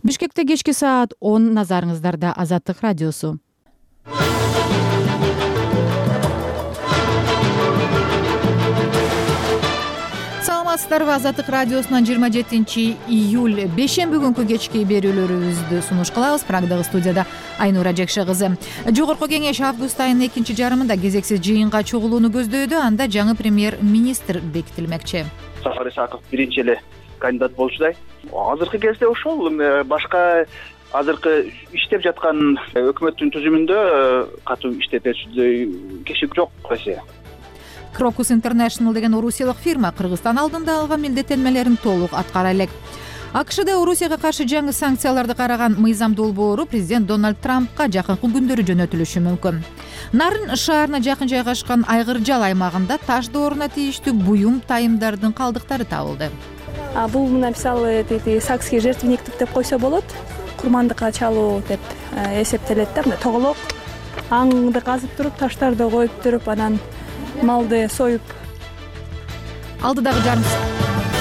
Бишкекте кечки саат 10 назарыңыздарда Азаттык радиосу. Саламатсыздарбы? Азаттык радиосунан 27-июль бейшемби күнкү кечки берүүлөрүбүздү сунуш кылабыз. Прагдагы студияда Айнура Жекше кызы. Жогорку кеңеш август айынын экинчи жарымында кезексиз жыйынга чогулууну көздөйдү. Анда жаңы премьер-министр бекитилмекчи. Сапар Исаков биринчи эле кандидат болчудай. Азыркы кезде ошол башка азыркы иштеп жаткан өкмөттүн түзүмүндө катуу иштетүүчүдөй киши жок Россия. Crocus International деген орусиялык фирма Кыргызстан алдында алган милдеттенмелерин толук аткара элек. АКШда Орусияга каршы жаңы санкцияларды караган мыйзам долбоору президент Дональд Трампка жакынкы күндөрү жөнөтүлүшү мүмкүн. Нарын шаарына жакын жайгашкан Айгыржал аймагында таш дооруна тийиштүү буюм тайымдардын калдыктары табылды. Бул мисалы сакский жертвенниктик деп койсо болот. Курмандыкка чалуу деп эсептелет да, мындай тоголок. Аңды казып туруп, таштарды коюп туруп, анан малды союп. Алдыдагы жарым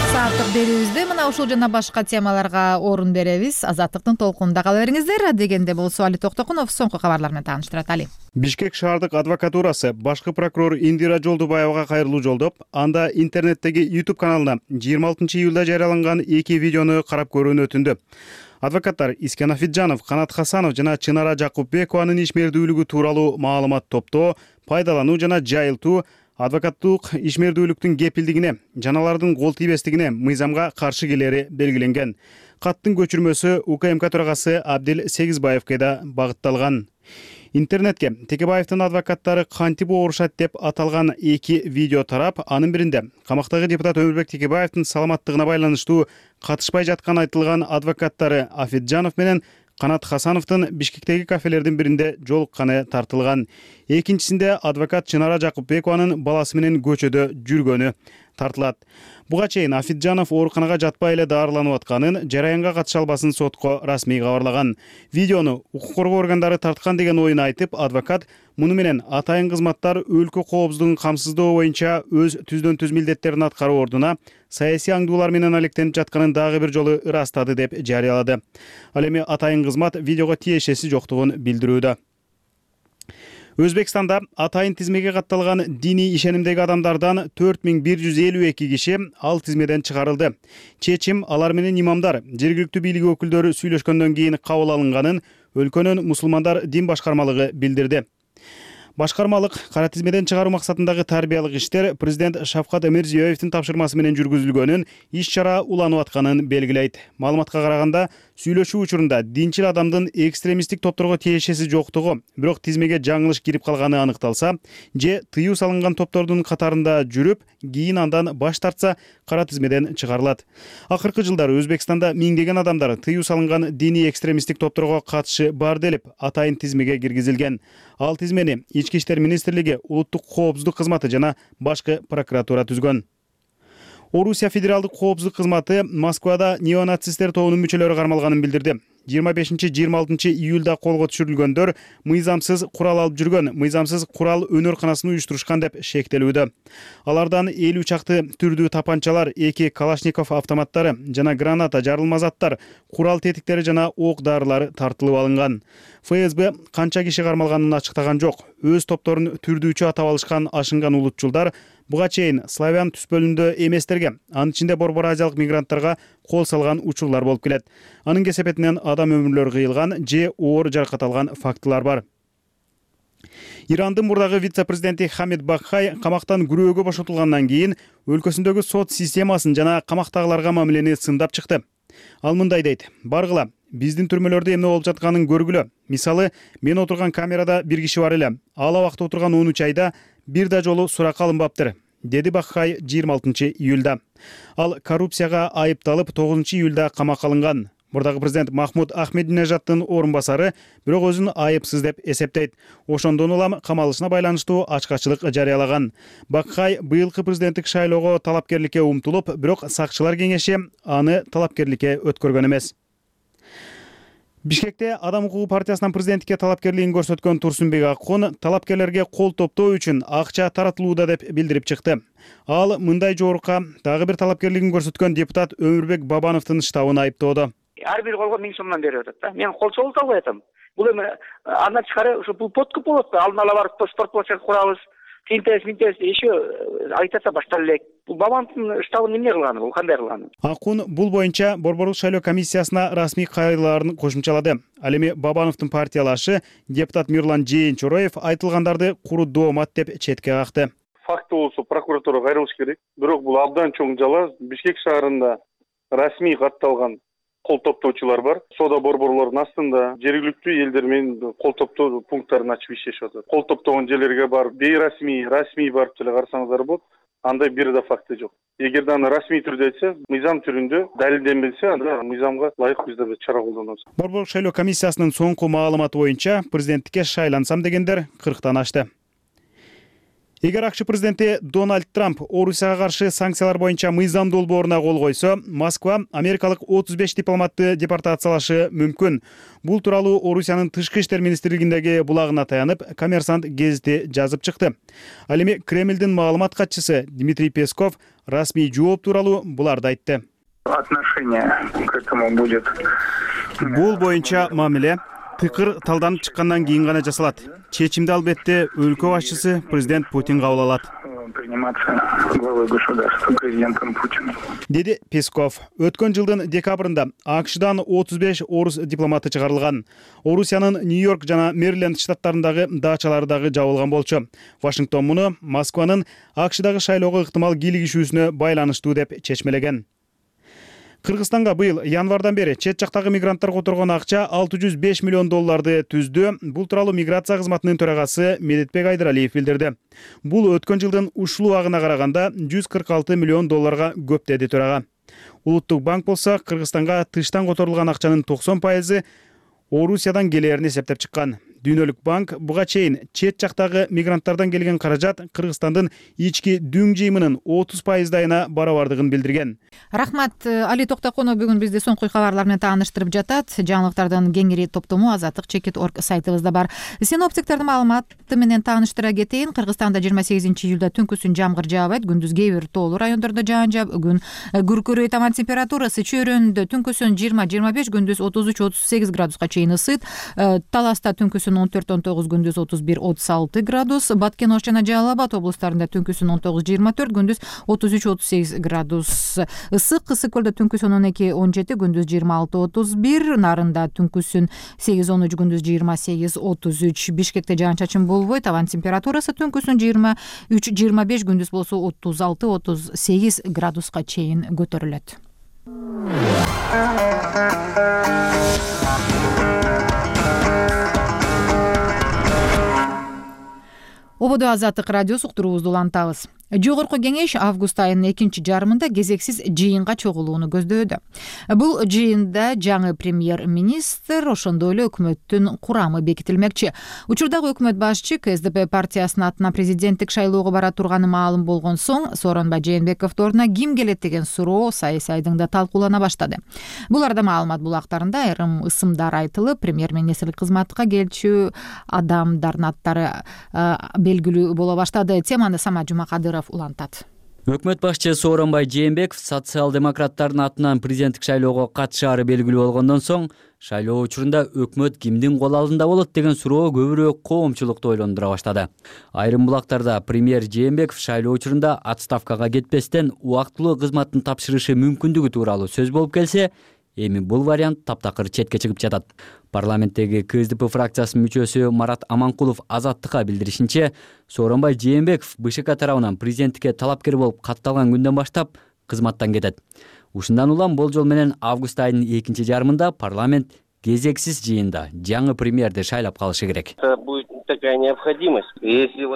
сааттык берүүбүздө мына ушул жана башка темаларга орун беребиз. Азаттыктын толкунунда кала бериңиздер. Дегенде болсо Али Токтокунов соңку кабарлар менен тааныштырат. Али. Бишкек шаардык адвокатурасы башкы прокурор Индира Жолдубаевага кайрылуу жолдоп, анда интернеттеги YouTube каналына 26-июлда жарыяланган 2 видеону карап көрүүнү өтүндү. Адвокаттар Искен Афиджанов, Канат Хасанов жана Чынара Жакупбекованын ишмердүүлүгү тууралуу маалымат топтоо, пайдалануу жана жайылтуу, адвокаттык ишмердүүлүктүн кепилдигине, жаналардын кол тийбестигине мыйзамга каршы келери белгиленген. Каттын көчүрмөсү УКМК төрагасы Абдил Сегизбаевге да багытталган. Интернетке Текебаевдин адвокаттары кантип оорушат деп аталган 2 видео тарап, анын биринде камактагы депутат Өмүрбек Текебаевдин саламаттыгына байланыштуу катышпай жаткан айтылган адвокаттары Афиджанов менен Канат Хасановдун Бишкектеги кафелердин биринде жолукканы тартылган. Экинчисинде адвокат Чынара Жакупбекованын баласы менен көчөдө жүргөнү тартылат. Буга чейин Афиджанов ооруканага жатпай эле даарыланып атканын, жараянга катыша албасын сотко расмий кабарлаган. Видеону укук коргоо органдары тарткан деген оюн айтып, адвокат муну менен атайын кызматтар өлкө коопсуздугун камсыздоо боюнча өз түздөн түз милдеттерин аткаруу ордуна саясий аңдуулар менен алектенип жатканын дагы бир жолу ырастады деп жарыялады. Ал эми атайын кызмат видеого тиешеси жоктугун билдирүүдө. Өзбекстанда атайын тизмеге катталган диний ишенимдеги адамдардан 4152 киши ал тизмеден чыгарылды. Чечим алар менен имамдар, жергиликтүү бийлик өкүлдөрү сүйлөшкөндөн кийин кабыл алынганын өлкөнүн мусулмандар дин башкармалыгы билдирди. Башкармалык кара тизмеден чыгаруу максатындагы тарбиялык иштер президент Шавкат Мирзиёевдин тапшырмасы менен жүргүзүлгөнүн, иш-чара уланып атканын белгилейт. Маалыматка караганда, сүйлөшүү учурунда динчил адамдын экстремисттик топторго тиешеси жоктугу, бирок тизмеге жаңылыш кирип калганы аныкталса, же тыюу салынган топтордун катарында жүрүп, кийин андан баш тартса, кара тизмеден чыгарылат. Акыркы жылдары Өзбекстанда миңдеген адамдар тыюу салынган диний экстремисттик топторго катышы бар делип, атайын тизмеге киргизилген. Ал тизмени Ички иштер министрлиги, улуттук коопсуздук кызматы жана башкы прокуратура түзгөн. Орусия федералдык коопсуздук кызматы Москвада неонацисттер тобунун мүчөлөрү кармалганын билдирди. 25-26 июлда колго түшүрүлгөндөр мыйзамсыз курал алып жүргөн, мыйзамсыз курал өнөрканасын уюштурушкан деп шектелүүдө. Алардан 50 чакты түрдүү тапанчалар, 2 Калашников автоматтары жана граната, жарылма заттар, курал тетиктери жана ок дарылары тартылып алынган. ФСБ канча киши кармалганын ачыктаган жок. Өз топторун түрдүүчү атап алышкан ашынган улутчулдар буга чейин славян түспөлүндө эместерге, анын ичинде борбор азиялык мигранттарга кол салган учурлар болуп келет. Анын кесепетинен адам өмүрлөрү кыйылган же оор жаракат алган фактылар бар. Ирандын мурдагы вице-президенти Хамид Бакхай камактан күрөөгө бошотулгандан кийин өлкөсүндөгү сот системасын жана камактагыларга мамилени сындап чыкты. Ал мындай дейт: "Баргыла, биздин түрмөлөрдө эмне болуп жатканын көргүлө. Мисалы, мен отурган камерада бир киши бар эле. Ал абакта отурган 13 айда бир да жолу суракка алынбаптыр", деди Бакхай 26-июлда. Ал коррупцияга айыпталып 9-июлда камакка алынган. Мурдагы президент Махмуд Ахмединежаддын орун басары бирок өзүн айыпсыз деп эсептейт. Ошондон улам камалышына байланыштуу ачкачылык жарыялаган. Бакхай быйылкы президенттик шайлоого талапкерликке умтулуп, бирок сакчылар кеңеши аны талапкерликке өткөргөн эмес. Бишкекте Адам укугу партиясынан президенттикке талапкерлигин көрсөткөн Турсунбек Аккун талапкерлерге кол топтоо үчүн акча таратылууда деп билдирип чыкты. Ал мындай жоорукка дагы бир талапкерлигин көрсөткөн депутат Өмүрбек Бабановдун штабын айыптоодо. ар бир колго 1000 сомдон берип атат да. Мен кол чогулта албай атам. Бул эми андан тышкары ушу бул подкуп болот да. Алдын ала барып спорт площадь курабыз. Тинтес еще айтатса баштап элек. Бул Бабановдун штабын эмне кылганы, бул кандай кылганы? Акун бул боюнча Борборлук шайлоо комиссиясына расмий кайрылаарын кошумчалады. Ал эми Бабановдун партиялашы депутат Мирлан Жээнчороев айтылгандарды куру доомат деп четке какты. Факты болсо прокуратурага кайрылыш керек. Бирок бул абдан чоң жала. Бишкек шаарында расмий катталган кол топтоочулар бар. Соода борборлордун астында жергиликтүү элдер менен кол топтоо пункттарын ачып иштешип атат. Кол топтогон жерлерге барып бейрасмий, расмий барып деле карасаңыздар болот. Андай бир да факты жок. Эгерде аны расмий түрдө айтса, мыйзам түрүндө далилденбесе, анда мыйзамга ылайык биз да чара колдонобуз. Борборлук шайлоо комиссиясынын соңку маалыматы боюнча президенттикке шайлансам дегендер 40тан ашты. Эгер АКШ президенти Дональд Трамп Орусияга каршы санкциялар боюнча мыйзам долбооруна кол койсо, Москва америкалык 35 дипломатты депортациялашы мүмкүн. Бул тууралуу Орусиянын тышкы иштер министрлигиндеги булагына таянып, Коммерсант гезити жазып чыкты. Ал эми Кремлдин маалымат катчысы Дмитрий Песков расмий жооп тууралуу буларды айтты. Отношение к этому будет. Бул боюнча мамиле пикир талданып чыккандан кийин гана жасалат. Чечимди албетте өлкө башчысы президент Путин кабыл алат. Приниматься главой государства президентом Путиным. Деди Песков. Өткөн жылдын декабрында АКШдан 35 орус дипломаты чыгарылган. Орусиянын Нью-Йорк жана Мэриленд штаттарындагы дачалары дагы жабылган болчу. Вашингтон муну Москванын АКШдагы шайлоого ыктымал кийлигишүүсүнө байланыштуу деп чечмелеген. Кыргызстанга быйыл январдан бери чет жактагы мигранттар которгон акча $605 миллион түздү. Бул тууралуу миграция кызматынын төрагасы Медетбек Айдыралиев билдирди. Бул өткөн жылдын ушул убагына караганда $146 миллион көп деди төрага. Улуттук банк болсо Кыргызстанга тыштан которулган акчанын 90% Орусиядан келерин эсептеп чыккан. Дүйнөлүк банк буга чейин чет жактагы мигранттардан келген каражат Кыргызстандын ички дүң жыйымынын 30%-дайына барабардыгын билдирген. Рахмат, Али Токтоконов бүгүн бизди соңку кабарлар менен тааныштырып жатат. Жаңылыктардын кеңири топтому azatlyk.org сайтыбызда бар. Синоптиктердин маалыматы менен тааныштыра кетейин. Кыргызстанда 28-июлда түнкүсүн жамгыр жаабайт, күндүз кээ бир тоолуу райондордо жаан жаап, бүгүн күркүрөйт. Абан температурасы чөйрөндө түнкүсүн 20-25, күндүз 33-38 градуска чейин ысыйт. Таласта түнкүсүн 14-19, күндүз 31-36 градус. Баткен Ош жана Жалал Абад облустарында түнкүсүн 19-24, күндүз 33-38 градус. Ысык Ысык-Көлдө түнкүсүн 12-17, күндүз 26-31, Нарында түнкүсүн 8-13, күндүз 28-33. Бишкекте жаан-чачын болбойт. Абан температурасы түнкүсүн 23-25, күндүз болсо 36-38 градуска чейин көтөрүлөт. Ободо Азаттык радиосу уктуруубузду улантабыз. Жогорку кеңеш август айынын экинчи жарымында кезексиз жыйынга чогулууну көздөдө. Бул жыйында жаңы премьер-министр, ошондой эле өкмөттүн курамы бекитилмекчи. Учурдагы өкмөт башчы КСДП партиясынын атынан президенттик шайлоого бара турганы маалым болгон соң, Сооронбай Жээнбековдун ордуна ким келет деген суроо саясий айдыңда талкуулана баштады. Бул арада маалымат булактарында айрым ысымдар айтылып, премьер-министрлик кызматка келчү адамдардын аттары белгилүү боло баштады. Теманы Самат Жумакадыров улантат. Өкмөт башчы Сооронбай Жээнбеков социал-демократтардын атынан президенттик шайлоого катышаары белгилүү болгондон соң, шайлоо учурунда өкмөт кимдин кол алдында болот деген суроо көбүрөөк коомчулукту ойлондура баштады. Айрым булактарда премьер Жээнбеков шайлоо учурунда отставкага кетпестен убактылуу кызматын тапшырышы мүмкүндүгү тууралуу сөз болуп келсе, эми бул вариант таптакыр четке чыгып жатат. Парламенттеги КСДП фракциясынын мүчөсү Марат Аманкулов Азаттыкка билдиришинче, Сооронбай Жээнбеков БШК тарабынан президенттикке талапкер болуп катталган күндөн баштап кызматтан кетет. Ушундан улам болжол менен август айынын экинчи жарымында парламент кезексиз жыйында жаңы премьерди шайлап калышы керек. Такая необходимость.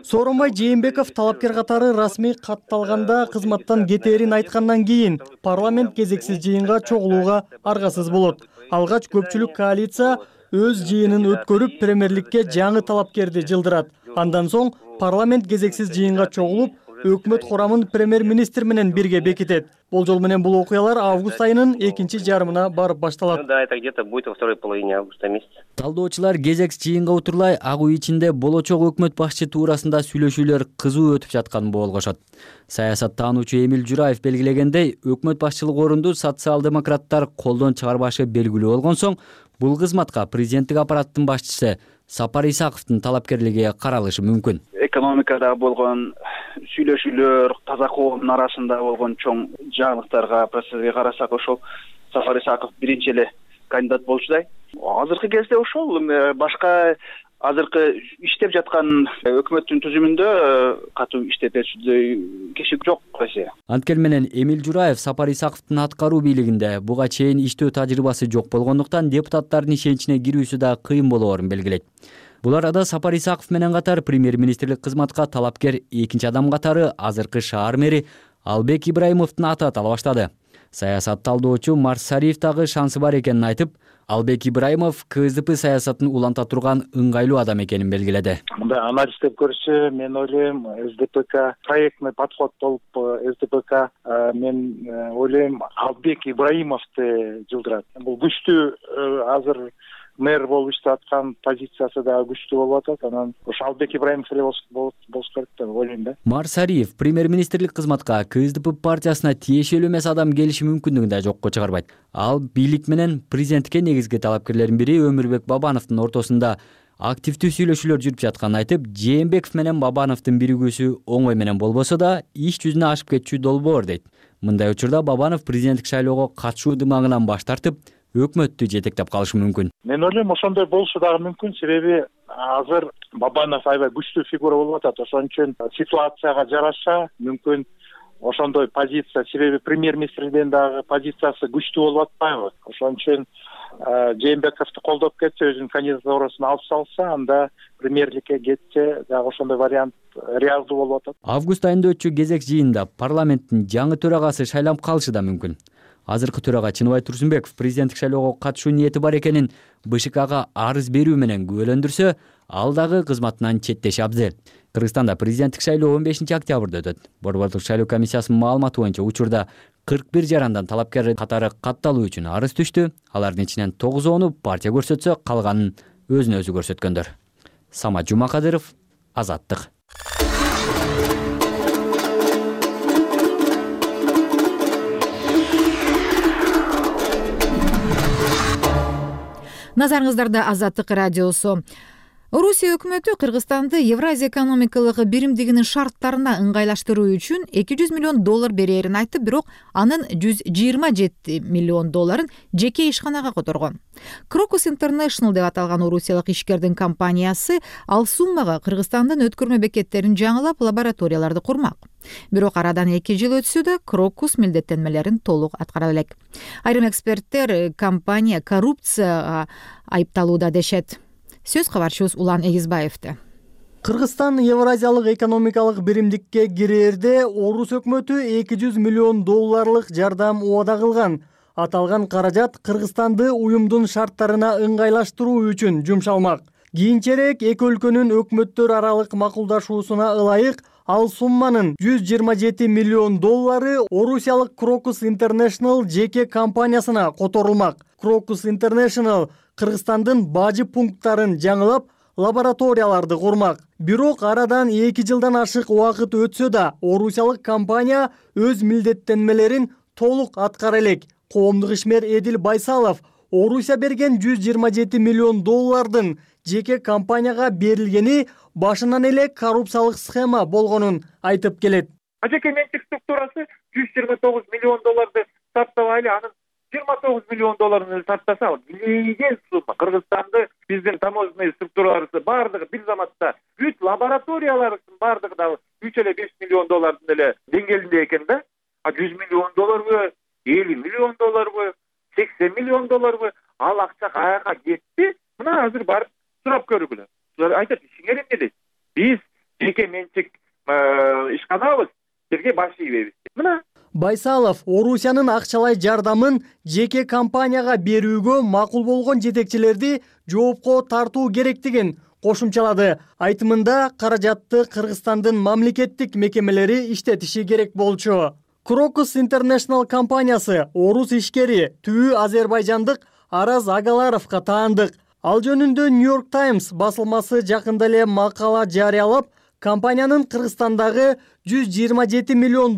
Сооронбай Жээнбеков талапкер катары расмий катталганда кызматтан кетерин айткандан кийин парламент кезексиз жыйынга чогулууга аргасыз болот. Алгач көпчүлүк коалиция өз жыйынын өткөрүп премьерликке жаңы талапкерди жылдырат. Андан соң парламент кезексиз жыйынга чогулуп, өкмөт курамын премьер-министр менен бирге бекитет. Болжол менен бул окуялар август айынын экинчи жарымына барып башталат. Да, это где-то будет во второй половине августа месяца. Талдоочулар кезекс жыйынга отурлай ак үй ичинде болочок өкмөт башчы туурасында сүйлөшүүлөр кызуу өтүп жатканын болгошот. Саясаттануучу Эмил Жураев белгилегендей, өкмөт башчылык орунду социал-демократтар колдон чыгарбашы белгилүү болгон соң, бул кызматка президенттик аппараттын башчысы Сапар Исаковдун талапкерлиги каралышы мүмкүн. Экономикада болгон сүйлөшүүлөр, таза коомдун арасында болгон чоң жаңылыктарга, процесске карасак, ошол Сапар Исаков биринчи эле кандидат болчудай. Азыркы кезде ошол башка азыркы иштеп жаткан өкмөттүн түзүмүндө катуу иштетүүчүдөй киши жок эсе. Анткени менен Эмил Жураев Сапар Исаковдун аткаруу бийлигинде буга чейин иштөө тажрыйбасы жок болгондуктан депутаттардын ишеничине кирүүсү да кыйын болоорун белгилейт. Бул арада Сапар Исаков менен катар премьер-министрлик кызматка талапкер экинчи адам катары азыркы шаар мэри Албек Ибраимовдун аты атала баштады. Саясат талдоочу Марсариев дагы шансы бар экенин айтып, Албек Ибраимов КСДП саясатын уланта турган ыңгайлуу адам экенин белгиледи. Мындай анализдеп көрсө, мен ойлойм, СДПК проектный подход болуп, СДПК мен ойлойм Албек Ибраимовду жылдырат. Бул күчтүү азыр мэр болуп иштеп аткан позициясы да күчтүү болуп атат. Анан ошо Албек Ибраимов эле болуш керек деп ойлойм да. Марсариев премьер-министрлик кызматка КСДП партиясына тиешелүү эмес адам келиши мүмкүндүгүн да жокко чыгарбайт. Ал бийлик менен президентке негизги талапкерлердин бири Өмүрбек Бабановдун ортосунда активдүү сүйлөшүүлөр жүрүп жатканын айтып, Жээнбеков менен Бабановдун биригүүсү оңой менен болбосо да иш жүзүнө ашып кетчү долбоор дейт. Мындай учурда Бабанов президенттик шайлоого катышуу дымагынан баш тартып, өкмөттү жетектеп калышы мүмкүн. Мен ойлойм, ошондой болушу дагы мүмкүн, себеби азыр Бабанов аябай күчтүү фигура болуп атат. Ошон үчүн ситуацияга жараша мүмкүн ошондой позиция, себеби премьер-министрдин дагы позициясы күчтүү болуп атпайбы? Ошон үчүн Жээнбековду колдоп кетсе, өзүнүн кандидатурасын алып салса, анда премьерликке кетсе, дагы ошондой вариант реалдуу болуп атат. Август айында өтчү кезек жыйында парламенттин жаңы төрагасы шайланып калышы да мүмкүн. Азыркы төрага Чыныбай Турсунбеков президенттик шайлоого катышуу ниети бар экенин БШКга арыз берүү менен күбөлөндүрсө, ал дагы кызматынан четтеши абзел. Кыргызстанда президенттик шайлоо 15 октябрда өтөт. Борбордук шайлоо комиссиясынын маалыматы боюнча учурда 41 жарандан талапкер катары катталуу үчүн арыз түштү. Алардын ичинен 9-ону партия көрсөтсө, калганын өзүнө өзү көрсөткөндөр. Самат Жумакадыров, Азаттык. Назарыңыздарда Азаттык радиосу. Орусия өкмөтү Кыргызстанды Евразия экономикалык биримдигинин шарттарына ыңгайлаштыруу үчүн $200 миллион берерин айтып, бирок анын $127 миллион жеке ишканага которгон. Crocus International деп аталган орусиялык ишкердин компаниясы ал суммага Кыргызстандын өткөрмө бекеттерин жаңылап, лабораторияларды курмак. Бирок арадан 2 жыл өтсө да Crocus милдеттенмелерин толук аткара элек. Айрым эксперттер компания коррупцияга айыпталууда дешет. Сөз кабарчыбыз Улан Эгизбаевде. Кыргызстан Евразиялык экономикалык биримдикке кирээрде орус өкмөтү $200 миллион жардам убада кылган. Аталган каражат Кыргызстанды уюмдун шарттарына ыңгайлаштыруу үчүн жумшалмак. Кийинчерээк эки өлкөнүн өкмөттөр аралык макулдашуусуна ылайык ал сумманын $127 миллион орусиялык Crocus International жеке компаниясына которулмак. Crocus International Кыргызстандын бажы пункттарын жаңылап, лабораторияларды курмак. Бирок арадан 2 жылдан ашык убакыт өтсө да, орусиялык компания өз милдеттенмелерин толук аткара элек. Коомдук ишмер Эдил Байсалов Орусия берген $127 миллион жеке компанияга берилгени башынан эле коррупциялык схема болгонун айтып келет. Жеке менчик структурасы $129 миллион сартабай эле, анын $29 миллион сартаса, билген сумма. Кыргызстанды биздин таможенный структураларыбыз бардыгы бир заматта бүт лабораторияларыбыздын бардыгы да $3,5 миллион эле деңгээлинде экен да. А $100 миллион $50 миллион $80 миллион ал акча каяка кетти? Мына азыр барып сурап көргүлө. Айтат, ишиңер эмне дейт? Биз жеке менчик ишканабыз, силерге баш ийбейбиз. Мына Байсалов Орусиянын акчалай жардамын жеке компанияга берүүгө макул болгон жетекчилерди жоопко тартуу керектигин кошумчалады. Айтымында каражатты Кыргызстандын мамлекеттик мекемелери иштетиши керек болчу. Crocus International компаниясы орус ишкери түбү азербайжандык Араз Агаларовго таандык. Ал жөнүндө New York Times басылмасы жакында эле макала жарыялап, компаниянын Кыргызстандагы $127 миллион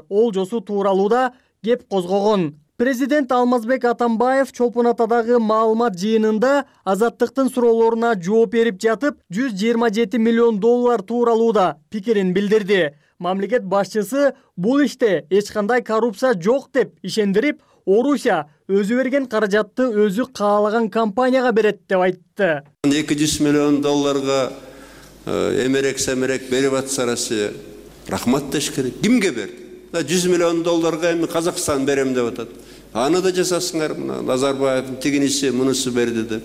олжосу тууралууда кеп козгогон. Президент Алмазбек Атамбаев Чолпон Атадагы маалымат жыйынында Азаттыктын суроолоруна жооп берип жатып, $127 миллион тууралууда пикирин билдирди. Мамлекет башчысы бул иште эч кандай коррупция жок деп ишендирип, Орусия өзү берген каражатты өзү каалаган компанияга берет деп айтты. $200 миллион эмерек-семерек берип атса Россия, рахмат деш керек. Кимге берди? $100 миллион эми Казакстан берем деп атат. Аны да жасасыңар, Назарбаевдин тигинisi, мунусу берди деп.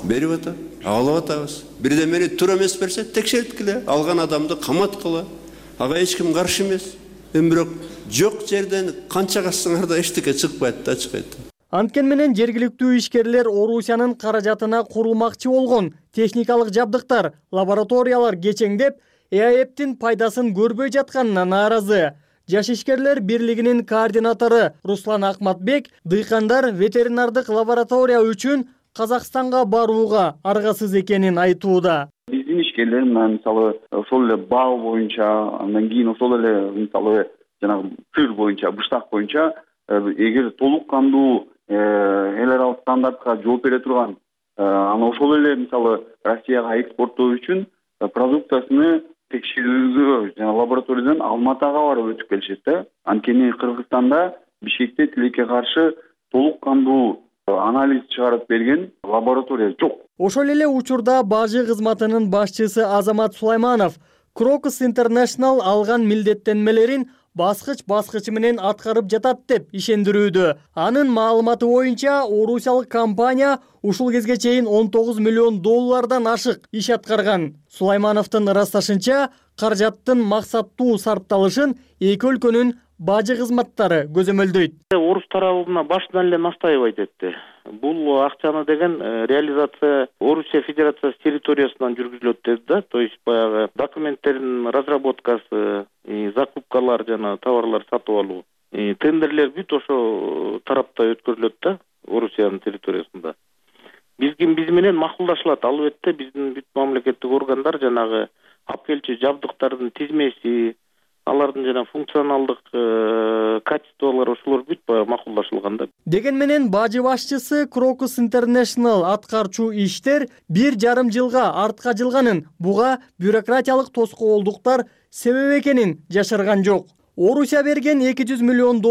Берип атат. Алып атабыз. Бирдемени туура эмес берсе, текшерткиле, алган адамды каматкыла. Ага эч ким каршы эмес. Бирок жок жерден канча кассаңар да эчтеке чыкпайт да, ачык айтып. Анткени менен жергиликтүү ишкерлер Орусиянын каражатына курулмакчы болгон техникалык жабдыктар, лабораториялар кечеңдеп, ЭАЭПтин пайдасын көрбөй жатканына нааразы. Жаш ишкерлер бирлигинин координатору Руслан Акматбек дыйкандар ветеринардык лаборатория үчүн Казакстанга барууга аргасыз экенин айтууда. Биздин ишкерлер мисалы ошол эле бал боюнча, андан кийин ошол эле мисалы жанагы сыр боюнча, быштак боюнча эгер толук кандуу эл аралык стандартка жооп бере турган, аны ошол эле мисалы Россияга экспорттоо үчүн продукциясыны текшерүүгө жана лабораториядан Алматыга барып өтүп келишет да. Анткени Кыргызстанда Бишкекте тилекке каршы толук кандуу анализ чыгарып берген лаборатория жок. Ошол эле учурда бажы кызматынын башчысы Азамат Сулайманов Crocus International алган милдеттенмелерин баскыч менен аткарып жатат деп ишендирүүдө. Анын маалыматы боюнча орусиялык компания ушул кезге чейин $19 миллион ашык иш аткарган. Сулаймановдун ырасташынча, каражаттын максаттуу сарпталышын эки өлкөнүн бажы кызматтары көзөмөлдөйт. Орус тарабына башынан эле настаивать этти. Бул акчаны деген реализация Орусия Федерациясы территориясынан жүргүзүлөт деди да. То есть баягы документтердин разработкасы, закупкалар жана товарлар сатып алуу, тендерлер бүт ошо тарапта өткөрүлөт да, Орусиянын территориясында. Биз менен макулдашылат. Албетте биздин бүт мамлекеттик органдар жанагы алып келчү жабдыктардын тизмеси, алардын жана функционалдык качестволору ошолор бүт макулдашылган да. Деген менен бажы башчысы Crocus International аткарчу иштер 1,5 жылга артка жылганын, буга бюрократиялык тоскоолдуктар себеп экенин жашырган жок. Орусия берген $200 миллион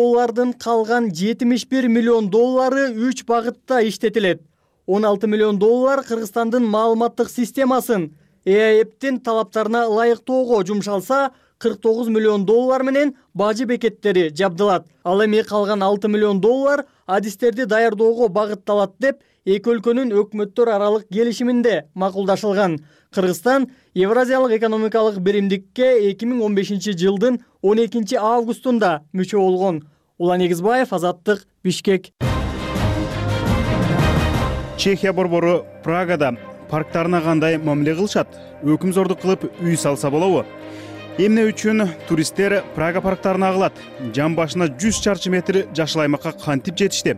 калган $71 миллион 3 багытта иштетилет. $16 миллион Кыргызстандын маалыматтык системасын ЭАЭПтин талаптарына ылайыктоого жумшалса, $49 миллион менен бажы бекеттери жабдылат. Ал эми калган $6 миллион адистерди даярдоого багытталат деп эки өлкөнүн өкмөттөр аралык келишиминде макулдашылган. Кыргызстан Евразиялык экономикалык биримдикке 2015 жылдын 12 августунда мүчө болгон. Улан Эгизбаев, Азаттык, Бишкек. Чехия борбору Прагада парктарына кандай мамиле кылышат? Өкүмзордук кылып үй салса болобу? Эмне үчүн туристтер Прага парктарына агылат? Жан башына 100 чарчы метр жашыл аймакка кантип жетишти?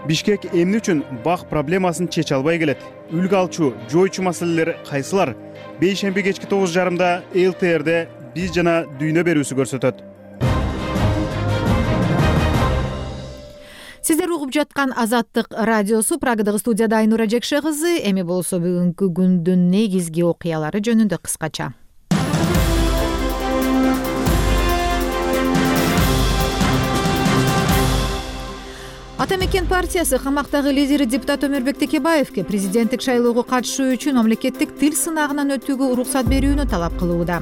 Бишкек эмне үчүн бак проблемасын чече албай келет? Үлгү алчу, жойчу маселелер кайсылар? Бейшемби кечки 9:30 ЛТРде биз жана дүйнө берүүсү көрсөтөт. Сиздер угуп жаткан Азаттык радиосу. Прагадагы студияда Айнура Жекше кызы. Эми болсо бүгүнкү күндүн негизги окуялары жөнүндө кыскача. Ата мекен партиясы камактагы лидери депутат Өмүрбек Текебаевке президенттик шайлоого катышуу үчүн мамлекеттик тил сынагынан өтүүгө уруксат берүүнү талап кылууда.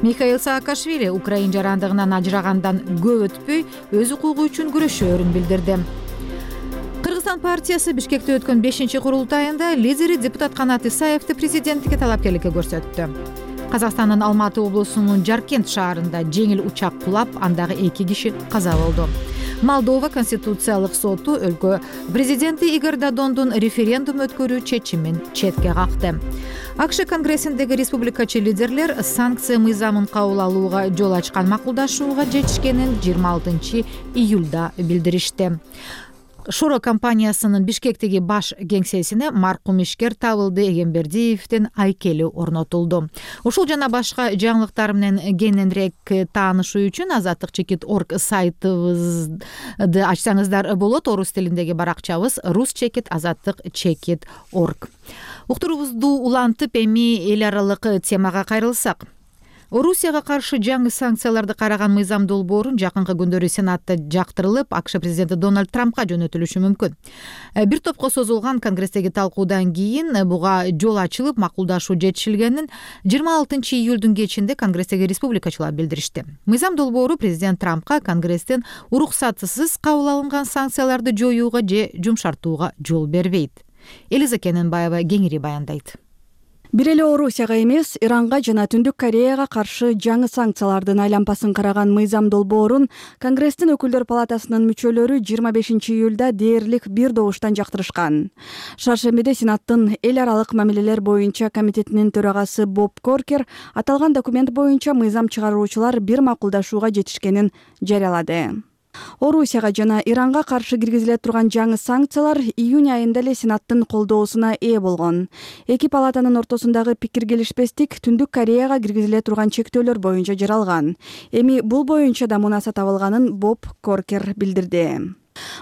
Михаил Саакашвили Украин жарандыгынан ажырагандан көп өтпөй өз укугу үчүн күрөшөөрүн билдирди. Кыргызстан партиясы Бишкекте өткөн 5-курултайында лидери депутат Канат Исаевди президенттикке талапкерликке көрсөттү. Казакстандын Алматы облусунун Жаркент шаарында жеңил учак кулап, андагы 2 киши каза болду. Молдова Конституциялык соту өлкө президенти Игорь Додондун референдум өткөрүү чечимин четке какты. АКШ конгрессиндеги республикачы лидерлер санкция мыйзамын кабыл алууга жол ачкан макулдашууга жетишкенин 26 июлда билдиришти. Шоро компаниясынын Бишкектеги баш кеңсесине маркум ишкер Табылды Эгембердиевдин айкели орнотулду. Ушул жана башка жаңылыктар менен кененирээк таанышуу үчүн azatlyk.org сайтыбызды ачсаңыздар болот. Орус тилиндеги баракчабыз rus.azatlyk.org. Уктурубузду улантып эми эл аралык темага кайрылсак. Орусияга каршы жаңы санкцияларды караган мыйзам долбоорун жакынкы күндөрү Сенатта жактырылып, АКШ президенти Дональд Трампка жөнөтүлүшү мүмкүн. Бир топко созулган конгресстеги талкуудан кийин буга жол ачылып, макулдашуу жетишилгенин 26 июлдун кечинде конгресстеги республикачылар билдиришти. Мыйзам долбоору президент Трампка конгресстен уруксатсыз кабыл алынган санкцияларды жоюуга же жумшартууга жол бербейт. Элиза Кененбаева кеңири баяндайт. Бир эле Орусияга эмес, Иранга жана Түндүк Кореяга каршы жаңы санкциялардын айлампасын караган мыйзам долбоорун Конгресстин өкүлдөр палатасынын мүчөлөрү 25 июлда дээрлик бир добуштан жактырышкан. Шаршембиде Сенаттын эл аралык мамилелер боюнча комитетинин төрагасы Боб Коркер аталган документ боюнча мыйзам чыгаруучулар бир макулдашууга жетишкенин жарыялады. Орусияга жана Иранга каршы киргизиле турган жаңы санкциялар июнь айында эле Сенаттын колдоосуна ээ болгон. Эки палатанын ортосундагы пикир келишпестик Түндүк Кореяга киргизиле турган чектөөлөр боюнча жаралган. Эми бул боюнча да мунаса табылганын Боб Коркер билдирди.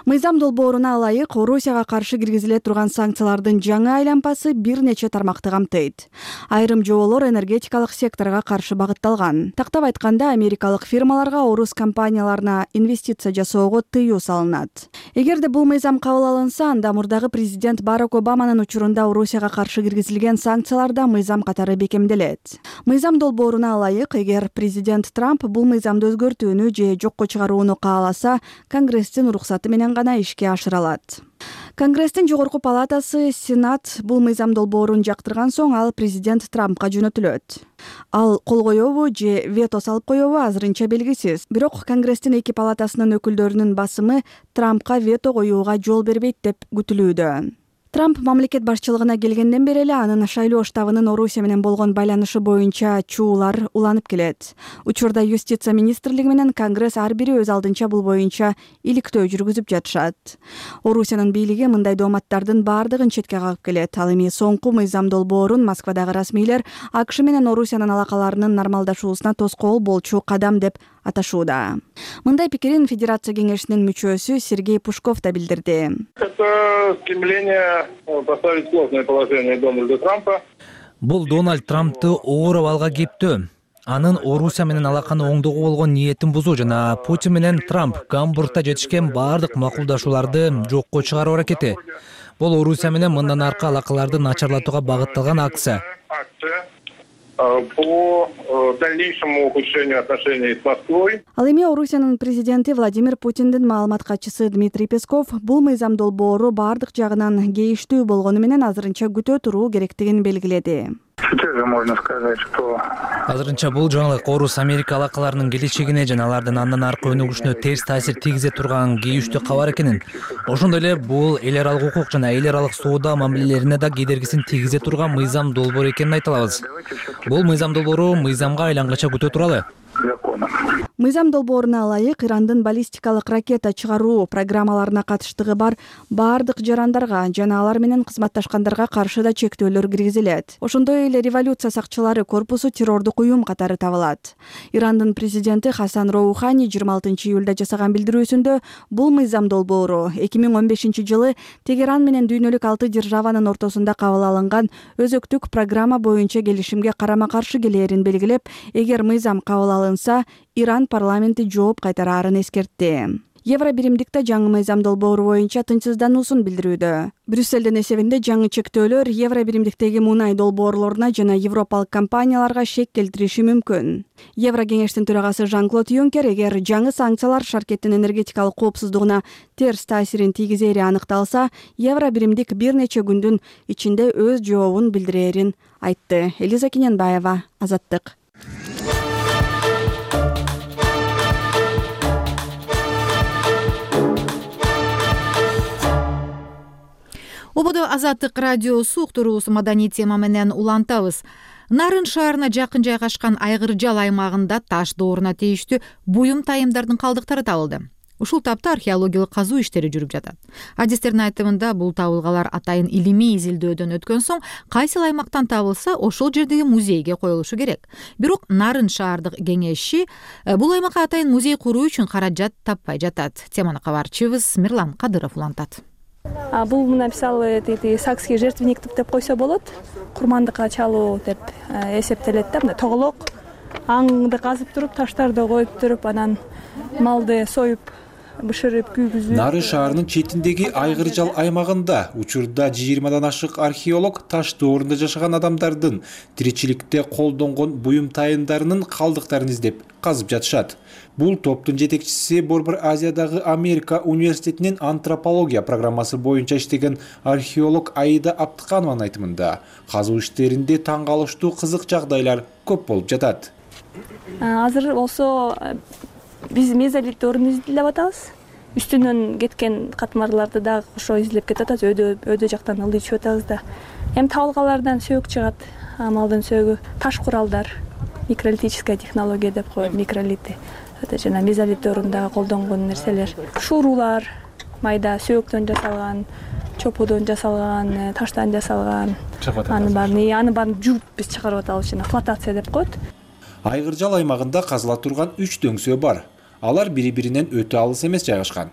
Мыйзам долбооруна ылайык Орусияга каршы киргизиле турган санкциялардын жаңы айлампасы бир нече тармакты камтыйт. Айрым жоболор энергетикалык секторго каршы багытталган. Тактап айтканда, америкалык фирмаларга орус компанияларына инвестиция жасоого тыюу салынат. Эгерде бул мыйзам кабыл алынса, анда мурдагы президент Барак Обаманын учурунда Орусияга каршы киргизилген санкциялар да мыйзам катары бекемделет. Мыйзам долбооруна ылайык, эгер президент Трамп бул мыйзамды өзгөртүүнү же жокко чыгарууну кааласа, Конгресстин уруксаты менен гана ишке ашыра алат. Конгресстин жогорку палатасы Сенат бул мыйзам долбоорун жактырган соң ал президент Трампка жөнөтүлөт. Ал кол коёбу же вето салып коёбу азырынча белгисиз. Бирок Конгресстин эки палатасынын өкүлдөрүнүн басымы Трампка вето коюуга жол бербейт деп күтүлүүдө. Трамп мамлекет башчылыгына келгенден бери эле анын шайлоо штабынын Орусия менен болгон байланышы боюнча чуулар уланып келет. Учурда юстиция министрлиги менен Конгресс ар бири өз алдынча бул боюнча иликтөө жүргүзүп жатышат. Орусиянын бийлиги мындай дооматтардын баардыгын четке кагып келет. Ал эми соңку мыйзам долбоорун Москвадагы расмийлер АКШ менен Орусиянын алакаларынын нормалдашуусуна тоскоол болчу кадам деп аташууда. Мындай пикирин Федерация кеңешинин мүчөсү Сергей Пушков да билдирди. Это стремление поставить сложное положение Дональда Трампа. Бул Дональд Трампты оор абалга кептөө. Анын Орусия менен алаканы оңдоого болгон ниетин бузуу жана Путин менен Трамп Гамбургда жетишкен баардык макулдашууларды жокко чыгаруу аракети. Бул Орусия менен мындан аркы алакаларды начарлатууга багытталган акция. По дальнейшему ухудшению отношений с Москвой. Ал эми Орусиянын президенти Владимир Путиндин маалымат катчысы Дмитрий Песков бул мыйзам долбоору баардык жагынан кейиштүү болгону менен азырынча күтө туруу керектигин белгиледи. Сейчас же можно сказать, что Азырынча бул жаңылык Орус Америка алакаларынын келечегине жана алардын андан аркы өнүгүшүнө терс таасир тийгизе турган кейиштүү кабар экенин, ошондой эле бул эл аралык укук жана эл аралык соода мамилелерине да кедергисин тийгизе турган мыйзам долбоор экенин айта алабыз. Бул мыйзам долбоору мыйзамга айлангыча күтө туралы. Мыйзам долбооруна ылайык Ирандын баллистикалык ракета чыгаруу программаларына катыштыгы бар баардык жарандарга жана алар менен кызматташкандарга каршы да чектөөлөр киргизилет. Ошондой эле революция сакчылары корпусу террордук уюм катары табылат. Ирандын президенти Хасан Роухани 26 июлда жасаган билдирүүсүндө бул мыйзам долбоору 2015 жылы Тегеран менен дүйнөлүк 6 державанын ортосунда кабыл алынган өзөктүк программа боюнча келишимге карама-каршы келээрин белгилеп, эгер мыйзам кабыл алынса, Иран парламенти жооп кайтараарын эскертти. Евро биримдикте жаңы мыйзам долбоору боюнча тынчсыздануусун билдирүүдө. Брюссельдин эсебинде жаңы чектөөлөр евро биримдиктеги мунай долбоорлоруна жана европалык компанияларга шек келтириши мүмкүн. Евро кеңештин төрагасы Жан-Клод Юнкер эгер жаңы санкциялар шаркеттин энергетикалык коопсуздугуна терс таасирин тийгизери аныкталса, евро биримдик бир нече күндүн ичинде өз жообун билдирерин айтты. Элиза Кененбаева, Азаттык. Ободо Азаттык радиосу уктуруубузду маданий тема менен улантабыз. Нарын шаарына жакын жайгашкан Айгыржал аймагында таш дооруна тийиштүү буюм тайымдардын калдыктары табылды. Ушул тапта археологиялык казуу иштери жүрүп жатат. Адистердин айтымында бул табылгалар атайын илимий изилдөөдөн өткөн соң кайсыл аймактан табылса ошол жердеги музейге коюлушу керек. Бирок Нарын шаардык кеңеши бул аймакка атайын музей куруу үчүн каражат таппай жатат. Теманы кабарчыбыз Мирлан Кадыров улантат. Бул мына мисалы Сакский жертвенник деп койсо болот. Курмандыкка чалуу деп эсептелет да. Мына тоголок аңды казып туруп, таштарды коюп туруп, анан малды союп, бышырып, күйгүзүп. Нарын шаарынын четиндеги Айгыржал аймагында учурда 20дан ашык археолог таш доорунда жашаган адамдардын тиричиликте колдонгон буюм тайындарынын калдыктарын издеп казып жатышат. Бул топтун жетекчиси Борбор Азиядагы Америка университетинин антропология программасы боюнча иштеген археолог Аида Аптыканованын айтымында, казуу иштеринде таң калыштуу кызык жагдайлар көп болуп жатат. Азыр болсо биз мезолит доорун изилдеп атабыз. Үстүнөн кеткен катмарларды дагы кошо изилдеп кетип атабыз. Өйдө жактан ылдый түшүп атабыз да. Эми табылгалардан сөөгү чыгат. Малдын сөөгү, таш куралдар, микролитическая технология деп коет, микролиты. Жана мезолит доорундагы колдонгон нерселер, шуурулар, майда сөөктөн жасалган, чопудон жасалган, таштан жасалган. Анын баарын жууп биз чыгарып атабыз, жана флотация деп коет. Айгыржал аймагында казыла турган 3 дөңсөө бар. Алар бири-биринен өтө алыс эмес жайгашкан.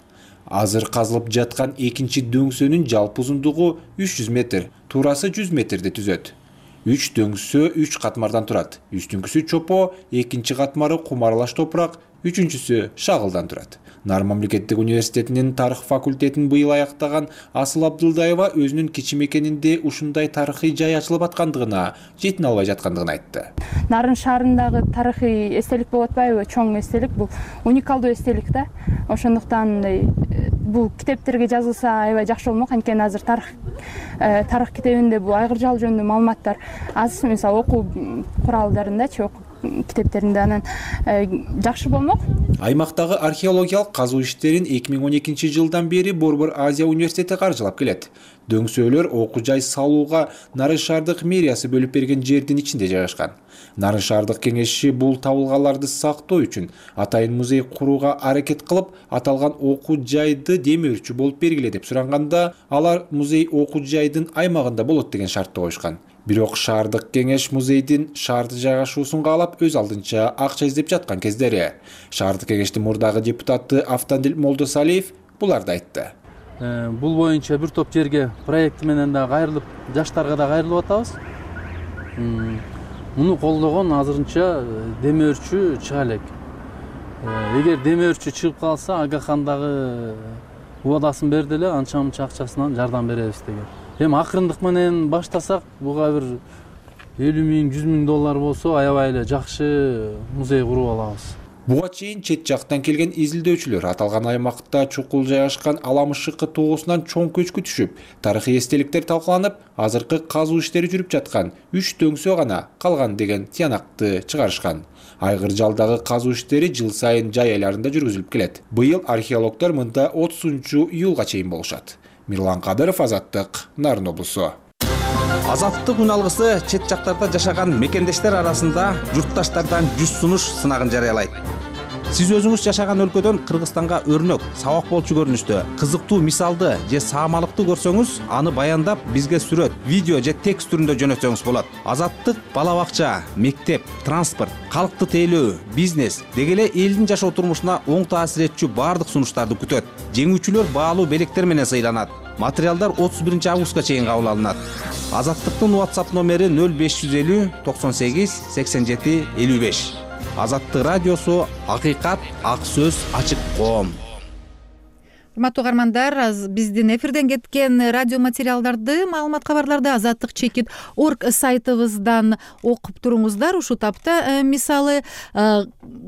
Азыр казылып жаткан экинчи дөңсөнүн жалпы узундугу 300 метр, туурасы 100 метрди түзөт. 3 дөңсө 3 катмардан турат. Үстүңкүсү чопо, экинчи катмары кумарлаш топурак, үчүнчүсү шагылдан турат. Нарын мамлекеттик университетинин тарых факультетин быйыл аяктаган Асыл Абдылдаева өзүнүн кичи мекенинде ушундай тарыхый жай ачылып аткандыгына жетине албай жаткандыгын айтты. Нарын шаарындагы тарыхый эстелик болуп атпайбы? Чоң эстелик, бул уникалдуу эстелик да. Ошондуктан бул китептерге жазылса аябай жакшы болмок. Анткени азыр тарых китебинде бул Айгыржал жөнүндө маалыматтар аз, мисалы окуу куралдарындачы, окуу китептеринде, анан жакшы болмок. Аймактагы археологиялык казуу иштерин 2012 жылдан бери Борбор Азия университети каржылап келет. Дөңсөөлөр окуу жай салууга Нарын шаардык мэриясы бөлүп берген жердин ичинде жайгашкан. Нарын шаардык кеңеши бул табылгаларды сактоо үчүн атайын музей курууга аракет кылып, аталган окуу жайды демөөрчү болуп бергиле деп суранганда, алар музей окуу жайдын аймагында болот деген шартты коюшкан. Бирок шаардык кеңеш музейдин шаарда жайгашуусун каалап өз алдынча акча издеп жаткан кездери. Шаардык кеңештин мурдагы депутаты Автандил Молдосалиев буларды айтты. Бул боюнча бир топ жерге проект менен да кайрылып, жаштарга да кайрылып атабыз. Муну колдогон азырынча демөөрчү чыга элек. Эгер демөөрчү чыгып калса, Агахандагы убадасын берди эле, анча-мынча акчасынан жардам беребиз деген. Эми акырындык менен баштасак, буга бир 50 миң, 100 миң доллар болсо, аябай эле жакшы музей куруп алабыз. Буга чейин чет жактан келген изилдөөчүлөр аталган аймакта чукул жайгашкан Аламышыкы тоосунан чоң көчкү түшүп, тарыхый эстеликтер талкаланып, азыркы казуу иштери жүрүп жаткан 3 дөңсөө гана калган деген тыянакты чыгарышкан. Айгыржалдагы казуу иштери жыл сайын жай айларында жүргүзүлүп келет. Быйыл археологдор мында 30-июлга чейин болушат. Мирлан Кадыров, Азаттык, Нарын облусу. Азаттык үн алгысы чет жактарда жашаган мекендештер арасында журтташтардан 100 сунуш сынагын жарыялайт. Сиз өзүңүз жашаган өлкөдөн Кыргызстанга өрнөк, сабак болчу көрүнүштө кызыктуу мисалды же саамалыкты көрсөңүз, аны баяндап бизге сүрөт, видео же текст түрүндө жөнөтсөңүз болот. Азаттык бала бакча, мектеп, транспорт, калкты тейлөө, бизнес деги эле элдин жашоо турмушуна оң таасир этчү баардык сунуштарды күтөт. Жеңүүчүлөр баалуу белектер менен сыйланат. Материалдар 31 августка чейин кабыл алынат. Азаттыктын WhatsApp номери 0550 98 87 55. Азаттык радиосу, акыйкат, ак сөз, ачык коом. Урматтуу угармандар, биздин эфирден кеткен радио материалдарды, маалымат кабарларды azattik.org сайтыбыздан окуп туруңуздар. Ушул тапта мисалы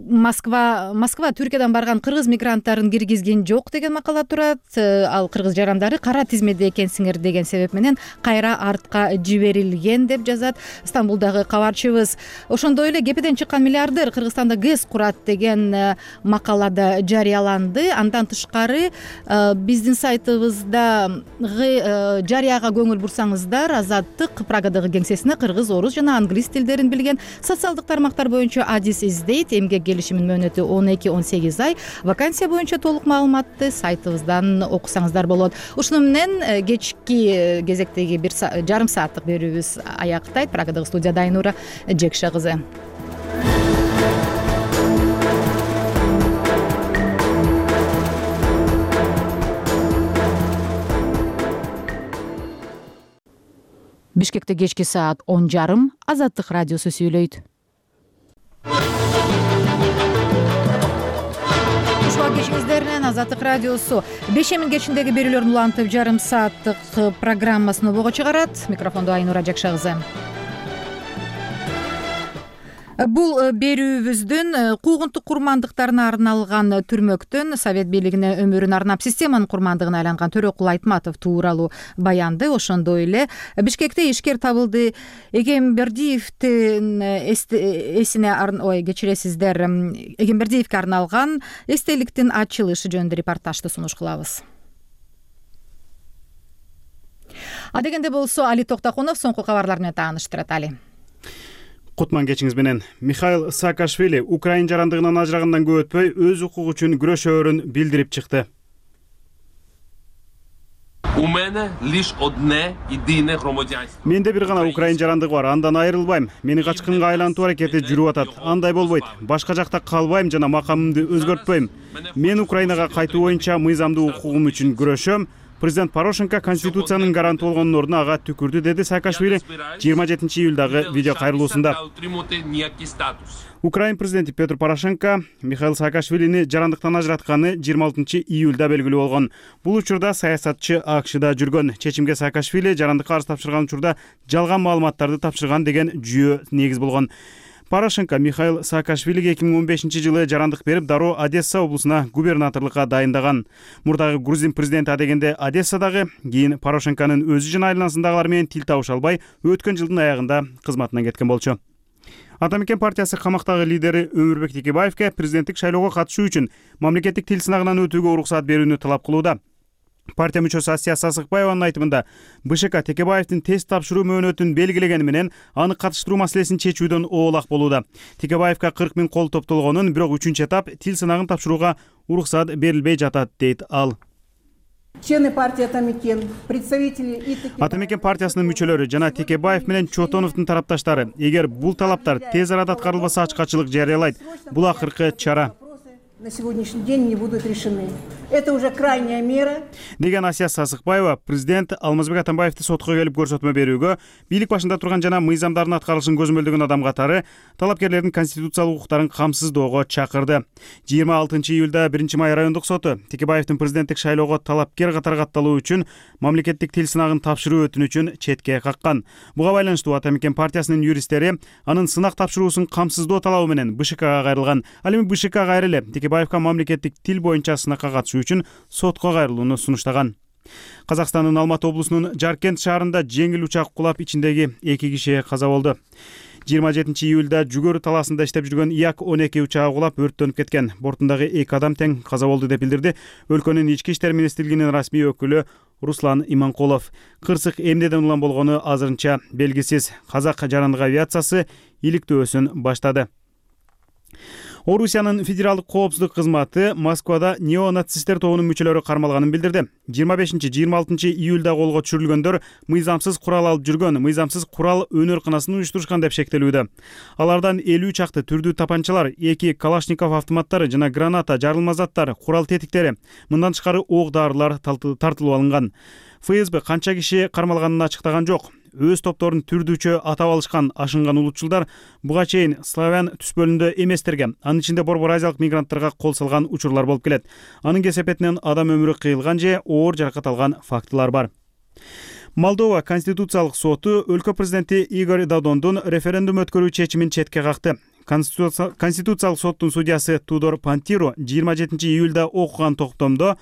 Москва Түркиядан барган кыргыз мигранттарын киргизген жок деген макала турат. Ал кыргыз жарандары кара тизмеде экенсиңер деген себеп менен кайра артка жиберилген деп жазат Стамбулдагы кабарчыбыз. Ошондой эле кепеден чыккан миллиардер Кыргызстанда ГЭС курат деген макалада жарыяланды. Андан тышкары биздин сайтыбыздагы жарыяга көңүл бурсаңыздар, Азаттык Прагадагы кеңсесине кыргыз, орус жана англис тилдерин билген социалдык тармактар боюнча адис издейт. Эмгек келишиминин мөөнөтү 12-18 ай. Вакансия боюнча толук маалыматты сайтыбыздан окусаңыздар болот. Ушуну менен кечки кезектеги 1 жарым сааттык берүүбүз аяктайт. Прагадагы студияда Айнура Жекше кызы. Бишкекте кечки саат 10:30 Азаттык радиосу сүйлөйт. Ушуга кечиңиздер менен Азаттык радиосу 5 минут кечиндеги берүүлөрдүн улантып жарым сааттык программасын обого чыгарат. Микрофондо Айнура Жекше кызы. Бул берүүбүздүн куугунтук курмандыктарына арналган түрмөктөн Совет бийлигине өмүрүн арнап системанын курмандыгына айланган Төрөкул Айтматов тууралуу баянды, ошондой эле Бишкекте ишкер табылды Эгембердиевдин эсине кечиресиздер, Эгембердиевге арналган эстеликтин ачылышы жөнүндө репортажды сунуш кылабыз. Адегенде болсо Али Токтокунов соңку кабарлар менен тааныштырат. Али. Кутман кечиңиз менен. Михаил Саакашвили Украин жарандыгынан ажырагандан көп өтпөй өз укугу үчүн күрөшөөрүн билдирип чыкты. Менде бир гана Украин жарандыгы бар, андан айрылбайм. Мени качкынга айлантуу аракети жүрүп атат. Андай болбойт. Башка жакта калбайм жана макамымды өзгөртпөйм. Мен Украинага кайтуу боюнча мыйзамдуу укугум үчүн күрөшөм. Президент Порошенко Конституциянын гаранты болгондун ордуна ага түкүрдү, деди Саакашвили 27 июлдагы видео кайрылуусунда. Украин президенти Петр Порошенко Михаил Саакашвилини жарандыктан ажыратканы 26 июлда белгилүү болгон. Бул учурда саясатчы АКШда жүргөн. Чечимге Саакашвили жарандыкка арыз тапшырган учурда жалган маалыматтарды тапшырган деген жүйө негиз болгон. Порошенко Михаил Саакашвилиге 2015 жылы жарандык берип, дароо Одесса облусуна губернаторлукка дайындаган. Мурдагы грузин президенти адегенде Одессадагы, кийин Порошенконун өзү жана айланасындагылар менен тил табыша албай, өткөн жылдын аягында кызматынан кеткен болчу. Ата Мекен партиясы камактагы лидери Өмүрбек Текебаевке президенттик шайлоого катышуу үчүн мамлекеттик тил сынагынан өтүүгө уруксат берүүнү талап кылууда. Партия мүчөсү Асия Сасыкбаеванын айтымында БШК Текебаевдин тест тапшыруу мөөнөтүн белгилегени менен аны катыштыруу маселесин чечүүдөн оолак болууда. Текебаевга 40 000 кол топтолгонун, бирок 3-этап тил сынагын тапшырууга уруксат берилбей жатат, дейт ал. Члены партии Ата Мекен, представители Ата Мекен партиясынын мүчөлөрү жана Текебаев менен Чотоновдун тарапташтары, эгер бул талаптар тез арада аткарылбаса, ачкачылык жарыялайт. Бул акыркы чара. На сегодняшний день не будут решены. Это уже крайняя мера. Деген Асия Сасыкбаева президент Алмазбек Атамбаевди сотко келип көрсөтмө берүүгө, бийлик башында турган жана мыйзамдардын аткарылышын көзөмөлдөгөн адам катары талапкерлердин конституциялык укуктарын камсыздоого чакырды. 26 июлда 1-май райондук соту Текебаевдин президенттик шайлоого талапкер катары катталуу үчүн мамлекеттик тил сынагын тапшыруу өтүнүчүн четке каккан. Буга байланыштуу Ата Мекен партиясынын юристтери анын сынак тапшыруусун камсыздоо талабы менен БШКга кайрылган. Ал эми БШК кайрылып Текебаевга мамлекеттик тил боюнча сынакка катышуу үчүн сотко кайрылууну сунуштаган. Казакстандын Алматы облусунун Жаркент шаарында жеңил учак кулап, ичиндеги 2 киши каза болду. 27 июлда Жүгөрү талаасында иштеп жүргөн Як-12 учагы кулап өрттөнүп кеткен. Бортундагы 2 адам тең каза болду деп билдирди өлкөнүн ички иштер министрлигинин расмий өкүлү Руслан Иманкулов. Кырсык эмнеден улам болгону азырынча белгисиз. Казак жарандык авиациясы иликтөөсүн баштады. Орусиянын федералдык коопсуздук кызматы Москвада неонацисттер тобунун мүчөлөрү кармалганын билдирди. 25-26 июлда колго түшүрүлгөндөр мыйзамсыз курал алып жүргөн, мыйзамсыз курал өнөр-кынасын уюштурушкан деп шектелүүдө. Алардан 50 чакты түрдүү тапанчалар, 2 Калашников автоматтары жана граната, жарылма заттар, курал тетиктери, мындан тышкары ок дарылар тартылып алынган. ФСБ канча киши кармалганын ачыктаган жок. Өз топторун түрдүүчө атап алышкан ашынган улутчулдар буга чейин славян түспөлүндө эместерге, анын ичинде борбор азиялык мигранттарга кол салган учурлар болуп келет. Анын кесепетинен адам өмүрү кыйылган же оор жаракат алган фактылар бар. Молдова Конституциялык соту өлкө президенти Игорь Додондун референдум өткөрүү чечимин четке какты. Конституциялык соттун судьясы Тудор Пантиру 27 июлда окуган токтомдо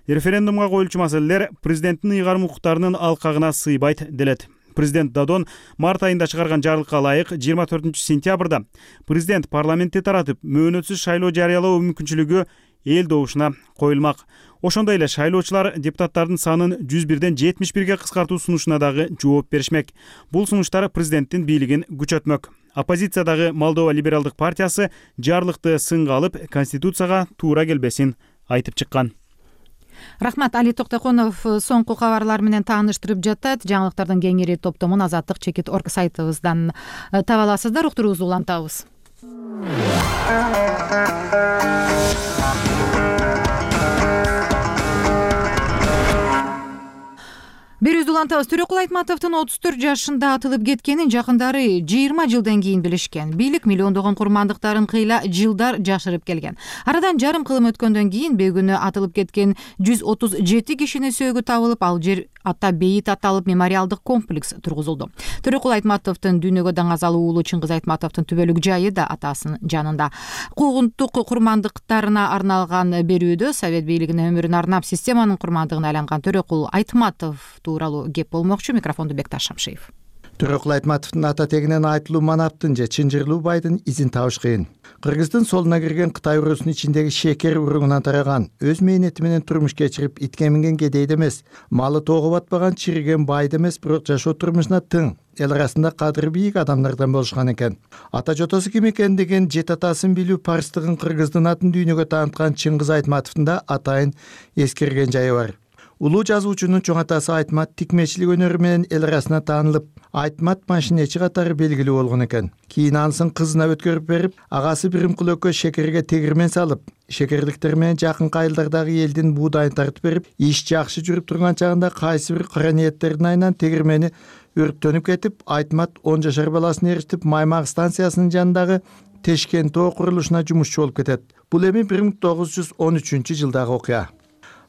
референдумга коюлчу маселелер президенттин ыйгарым укуктарынын алкагына сыйбайт делет. Президент Додон март айында чыгарган жарлыкка ылайык 24 сентябрда президент парламентти таратып мөөнөтсүз шайлоо жарыялоо мүмкүнчүлүгү эл добушуна коюлмак. Ошондой эле шайлоочулар депутаттардын санын 101ден 71ге кыскартуу сунушуна дагы жооп беришмек. Бул сунуштар президенттин бийлигин күчөтмөк. Оппозициядагы Молдова либералдык партиясы жарлыкты сынга алып, конституцияга туура келбесин айтып чыккан. Рахмат. Али Токтоконов соңку кабарлар менен тааныштырып жатат. Жаңылыктардын кеңири топтомун Азаттык чекит орг сайтыбыздан таба аласыздар. Уктуруубузду улантабыз. Берүүбүздү улантабыз. Төрөкул Айтматовдун 34 жашында атылып кеткенин жакындары 20 жылдан кийин билишкен. Бийлик миллиондогон курмандыктарын кыйла жылдар жашырып келген. Арадан жарым кылым өткөндөн кийин бөгүнү атылып кеткен 137 кишинин сөөгү табылып, ал жер ата бейит аталып мемориалдык комплекс тургузулду. Төрөкул Айтматовдун дүйнөгө даңазалуу уулу Чыңгыз Айтматовдун түбөлүк жайы да атасынын жанында. Куугунттук курмандыктарына арналган берүүдө Совет бийлигине өмүрүн арнап системанын курмандыгына айланган Төрөкул Айтматов тууралуу кеп болмокчу. Микрофонду Бекташ Шамшиев. Төрөкул Айтматовдун ата тегинен айтылуу манаптын же чынжырлуу байдын изин табыш кыйын. Кыргыздын солуна кирген Кытай урусунун ичиндеги шекер уругунан тараган, өз мээнети менен турмуш кечирип итке минген кедейди эмес, малы тоого батпаган чириген байды эмес, бирок жашоо турмушуна тың, эл арасында кадыры бийик адамдардан болушкан экен. Ата жотосу ким экендигин, жет атасын билүү парстыгын кыргыздын атын дүйнөгө тааныткан Чыңгыз Айтматовдун да атайын эскерген жайы бар. Улуу жазуучунун чоң атасы Айтмат тикмечилик өнөрү менен эл арасына таанылып, Айтмат машинечи катары белгилүү болгон экен. Кийин анысын кызына өткөрүп берип, агасы Биримкул экөө шекерге тегирмен салып, шекерликтер менен жакынкы айылдардагы элдин буудайын тартып берип, иш жакшы жүрүп турган чагында кайсы бир кара ниеттердин айынан тегирмени өрттөнүп кетип, Айтмат 10 жашар баласын ээрчитип Маймак станциясынын жанындагы Тешкен тоо курулушуна жумушчу болуп кетет. Бул эми 1913-жылдагы окуя.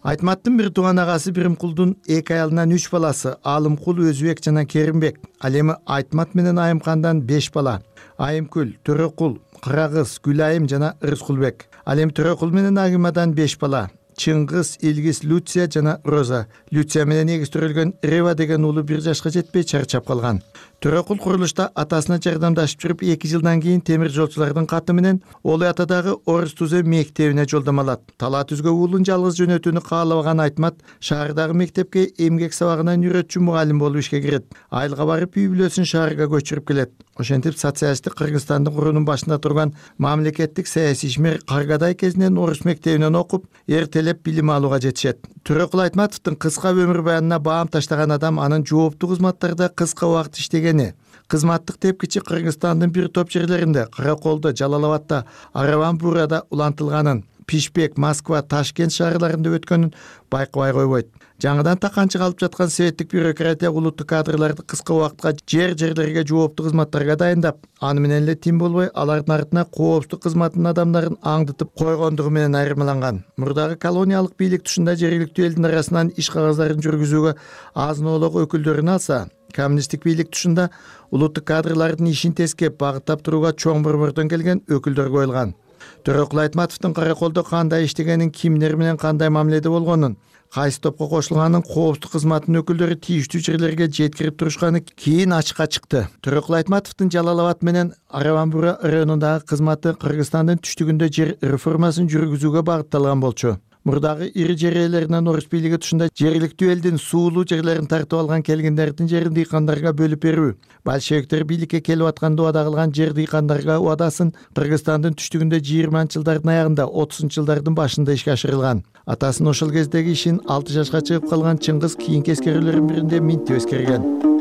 Айтматтын бир тууган агасы Биримкулдун 2 аялынан 3 баласы Алымкул, Өзбек жана Керимбек. Ал эми Айтмат менен Айымкандан 5 бала. Айымкүл, Төрөкул, Кырагыз, Гүлайым жана Рыскулбек. Ал эми Төрөкул менен Агимадан 5 бала. Чыңгыз, Илгиз, Люция жана Роза. Люция менен эгистирилген Рева деген уулу 1 жашка жетпей чарчап калган. Төрөкул курулушта атасына жардамдашып жүрүп 2 жылдан кийин темир жолчулардын каты менен Олой атадагы Орус Тузе мектебине жолдомо алат. Талаа түзгө уулун жалгыз жөнөтүүнү каалабаган Айтмат шаардагы мектепке эмгек сабагынан үйрөтчү мугалим болуп ишке кирет. Айылга барып үй бүлөсүн шаарга көчүрүп келет. Ошентип социалисттик Кыргызстандын куруунун башында турган мамлекеттик саясий ишмер Каргадай кезинен Орус мектебинен окуп, эртелеп билим алууга жетишет. Төрөкул Айтматовдун кыска өмүр баянына баам таштаган адам анын жооптуу кызматтарда кыска убакыт иштегени, кызматтык тепкичи Кыргызстандын бир топ жерлеринде, Караколдо, Жалал-Абадта, Араван-Бурада улантылганын, Пишпек, Москва, Ташкент шаарларында өткөнүн байкабай койбойт. Жаңыдан таканчы калып жаткан советтик бюрократия улуттук кадрларды кыска убакытка жерлерге жооптуу кызматтарга дайындап, аны менен эле тим болбой, алардын артына коопсуздук кызматынын адамдарын аңдытып койгондугу менен айырмаланган. Мурдагы колониялык бийлик тушунда жергиликтүү элдин арасынан иш кагаздарын жүргүзүүгө азын-оолок өкүлдөрүн алса, коммунисттик бийлик тушунда улуттук кадрлардын ишин тескеп, багыттап турууга чоң борбордон келген өкүлдөр коюлган. Төрөкул Айтматовдун Караколдо кандай иштегенин, кимдер менен кандай мамиледе болгонун, кайсы топко кошулганын коопсуздук кызматынын өкүлдөрү тийиштүү жерлерге жеткирип турушканы кийин ачыкка чыкты. Төрөкул Айтматовдун Жалал-Абад менен Араван-Бура районундагы кызматы Кыргызстандын түштүгүндө жер реформасын жүргүзүүгө багытталган болчу. Мурдагы ири жер ээлеринен Орус бийлиги тушунда жергиликтүү элдин суулуу жерлерин тартып алган келгиндердин жерин дыйкандарга бөлүп берүү, большевиктер бийликке келип атканда убада кылган жер дыйкандарга убадасын Кыргызстандын түштүгүндө 20-жылдардын аягында, 30-жылдардын башында ишке ашырылган. Атасынын ошол кездеги ишин 6 жашка чыгып калган Чыңгыз кийинки эскерүүлөрдүн биринде минтип эскерген.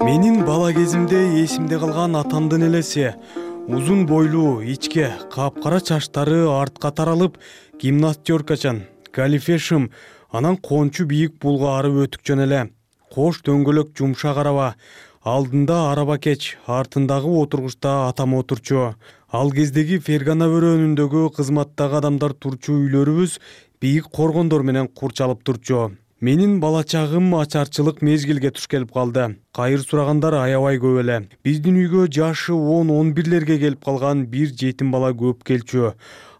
Менин бала кезимде эсимде калган атамдын элеси. Узун бойлуу, ичке, капкара чачтары артка таралып, гимнастеркачан, галифешим, анан кончу бийик булгаары өтүкчөн эле. Кош дөңгөлөк жумшак араба, алдында араба кеч, артындагы отургучта атам отурчу. Ал кездеги Фергана бөрөнүндөгү кызматтагы адамдар турчу үйлөрүбүз бийик коргондор менен курчалып турчу. Менин бала чагым ачарчылык мезгилге туш келип калды. Кайыр сурагандар аябай көп эле. Биздин үйгө жашы 10-11лерге келип калган бир жетим бала көп келчү.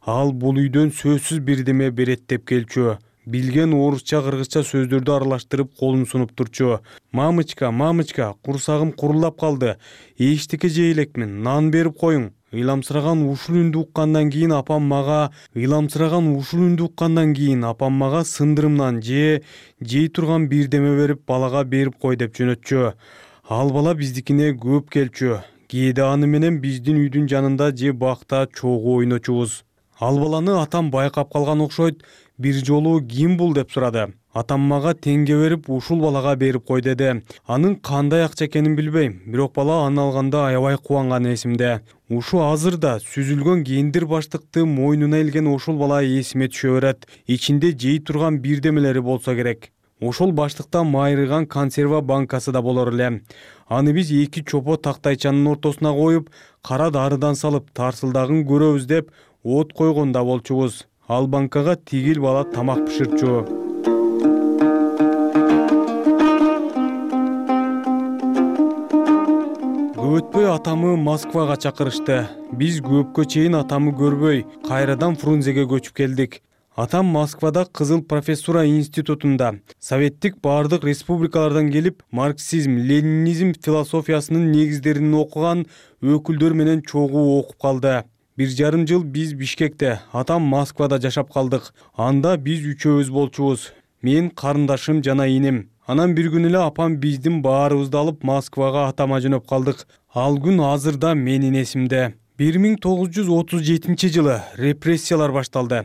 Ал бул үйдөн сөзсүз бирдеме берет деп келчү. билген орусча кыргызча сөздөрдү аралаштырып колун сунуп турчу. Мамычка, курсагым курулдап калды. Эчтеке жей элекмин, нан берип коюң. Ыйламсыраган ушул үндү уккандан кийин апам мага сындырымдан жей турган бирдеме берип балага берип кой деп жөнөтчү. Ал бала биздикине көп келчү. Кээде аны менен биздин үйдүн жанында же бакта чогуу ойночубуз. Ал баланы атам байкап калган окшойт. Бир жолу ким бул деп сурады. Атам мага теңге берип, ушул балага берип кой деди. Анын кандай акча экенин билбейм, бирок бала аны алганда аябай кубанганы эсимде. Ушу азырда сүзүлгөн кендир баштыкты мойнуна илген ошол бала эсиме түшө берет. Ичинде жей турган бирдемелери болсо керек. Ошол баштыкта майрыган консерва банкасы да болор эле. Аны биз 2 чопо тактайчанын ортосуна коюп, кара дарыдан салып, тарсылдагын көрөбүз деп от койгонда болчубуз. Ал банкага тигил бала тамак бышырчу. Көп өтпөй атамы Москвага чакырышты. Биз көпкө чейин атамы көрбөй, кайрадан Фрунзеге көчүп келдик. Атам Москвада Кызыл профессура институтунда советтик бардык республикалардан келип, марксизм, ленинизм философиясынын негиздерин окуган өкүлдөр менен чогуу окуп калды. 1,5 жыл биз Бишкекте, атам Москвада жашап калдык. Анда биз үчөөбүз болчубуз. Мен, карындашым жана инем. Анан бир күнү эле апам биздин баарыбызды алып Москвага атама жөнөп калдык. Ал күн азырда менин эсимде. 1937 жылы репрессиялар башталды.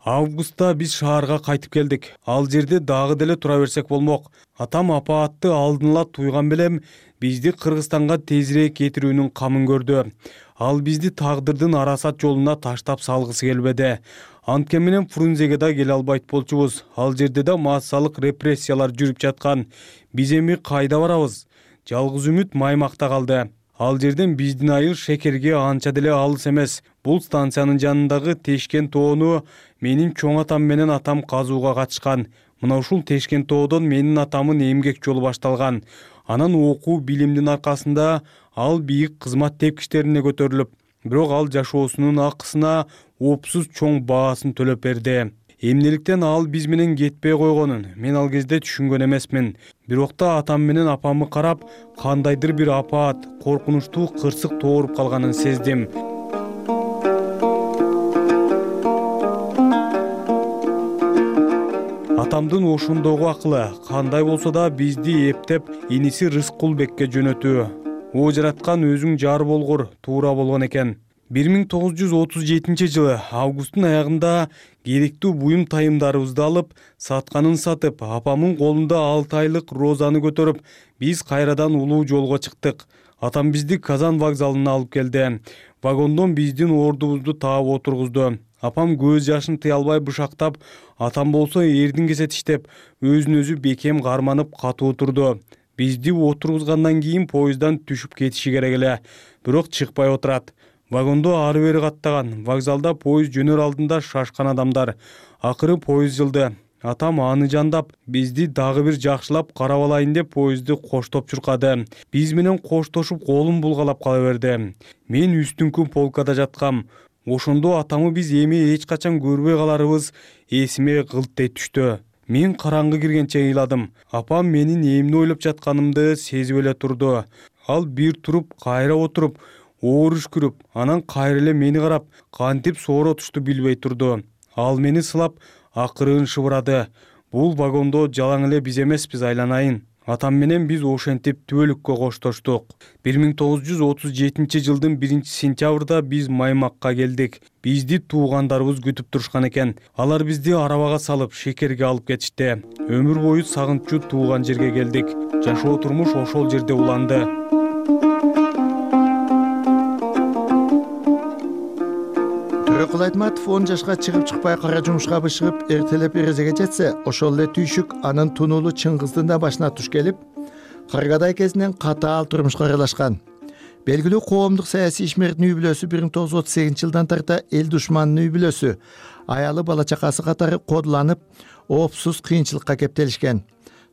Августта биз шаарга кайтып келдик. Ал жерде дагы деле тура берсек болмок. Атам апаатты алдын ала туйган белем бизди Кыргызстанга тезирээк кетирүүнүн камын көрдү. Ал бизди тагдырдын арасат жолуна таштап салгысы келбеди. Анткени менен Фрунзеге да келе албайт болчубуз. Ал жерде да массалык репрессиялар жүрүп жаткан. Биз эми кайда барабыз? Жалгыз үмүт Маймакта калды. Ал жерден биздин айыл Шекерге анча деле алыс эмес. Бул станциянын жанындагы Тешкен тоону менин чоң атам менен атам казууга катышкан. Мына ушул Тешкен тоодон менин атамын эмгек жолу башталган. Анан окуу билимдин аркасында ал бийик кызмат тепкичтерине көтөрүлүп, бирок ал жашоосунун акысына опсуз чоң баасын төлөп берди. Эмнеликтен ал биз менен кетпей койгонун мен ал кезде түшүнгөн эмесмин. Бирок да атам менен апамы карап, кандайдыр бир апаат, коркунучтуу кырсык тооруп калганын сездим. Атамдын ошондогу акылы кандай болсо да бизди эптеп иниси Рыскулбекке жөнөтүү. О жараткан өзүң жар болгур, туура болгон экен. 1937 жылы августтун аягында керектүү буюм тайымдарыбызды алып, сатканын сатып, апамын колунда 6 айлык Розаны көтөрүп, биз кайрадан улуу жолго чыктык. Атам бизди Казан вокзалына алып келди. Вагондон биздин ордубузду таап отургузду. Апам көз жашын тыя албай бышактап, атам болсо эрдин кесе тиштеп, өзүн өзү бекем карманып катуу турду. Бизди отургузгандан кийин поезддан түшүп кетиши керек эле, бирок чыкпай отурат. Вагондо ары бери каттаган, вокзалда поезд жөнөр алдында шашкан адамдар. Акыры поезд жылды. Атам аны жандап, бизди дагы бир жакшылап карап алайын деп поездди коштоп чуркады. Биз менен коштошуп колун булгалап кала берди. Мен үстүңкү полкада жаткам. Ошондо атамы биз эми эч качан көрбөй каларыбыз эсиме кылттай түштү. Мен караңгы киргенче ыйладым. Апам менин эмне ойлоп жатканымды сезип эле турду. Ал бир туруп, кайра отуруп, оор үшкүрүп, анан кайра эле мени карап, кантип сооротушту билбей турду. Ал мени сылап, акырын шыбырады. Бул вагондо жалаң эле биз эмеспиз, айланайын. Атам менен биз ошентип түбөлүккө коштоштук. 1937 жылдын 1-сентябрда биз Маймакка келдик. Бизди туугандарыбыз күтүп турушкан экен. Алар бизди арабага салып, Шекерге алып кетишти. Өмүр бою сагынчу тууган жерге келдик. Жашоо турмуш ошол жерде уланды. Төрөкул Айтматов 10 жашка чыгып-чыкпай кара жумушка бышыгып, эртелеп эрезеге жетсе, ошол эле түйшүк анын тунуулу Чыңгыздын да башына туш келип, Кыргыдай кезинен катаал турмушка аралашкан. Белгилүү коомдук саясий ишмердин үй бүлөсү 1938 жылдан тарта эл душманынын үй бүлөсү, аялы бала чакасы катары кодуланып, опсуз кыйынчылыкка кептелишкен.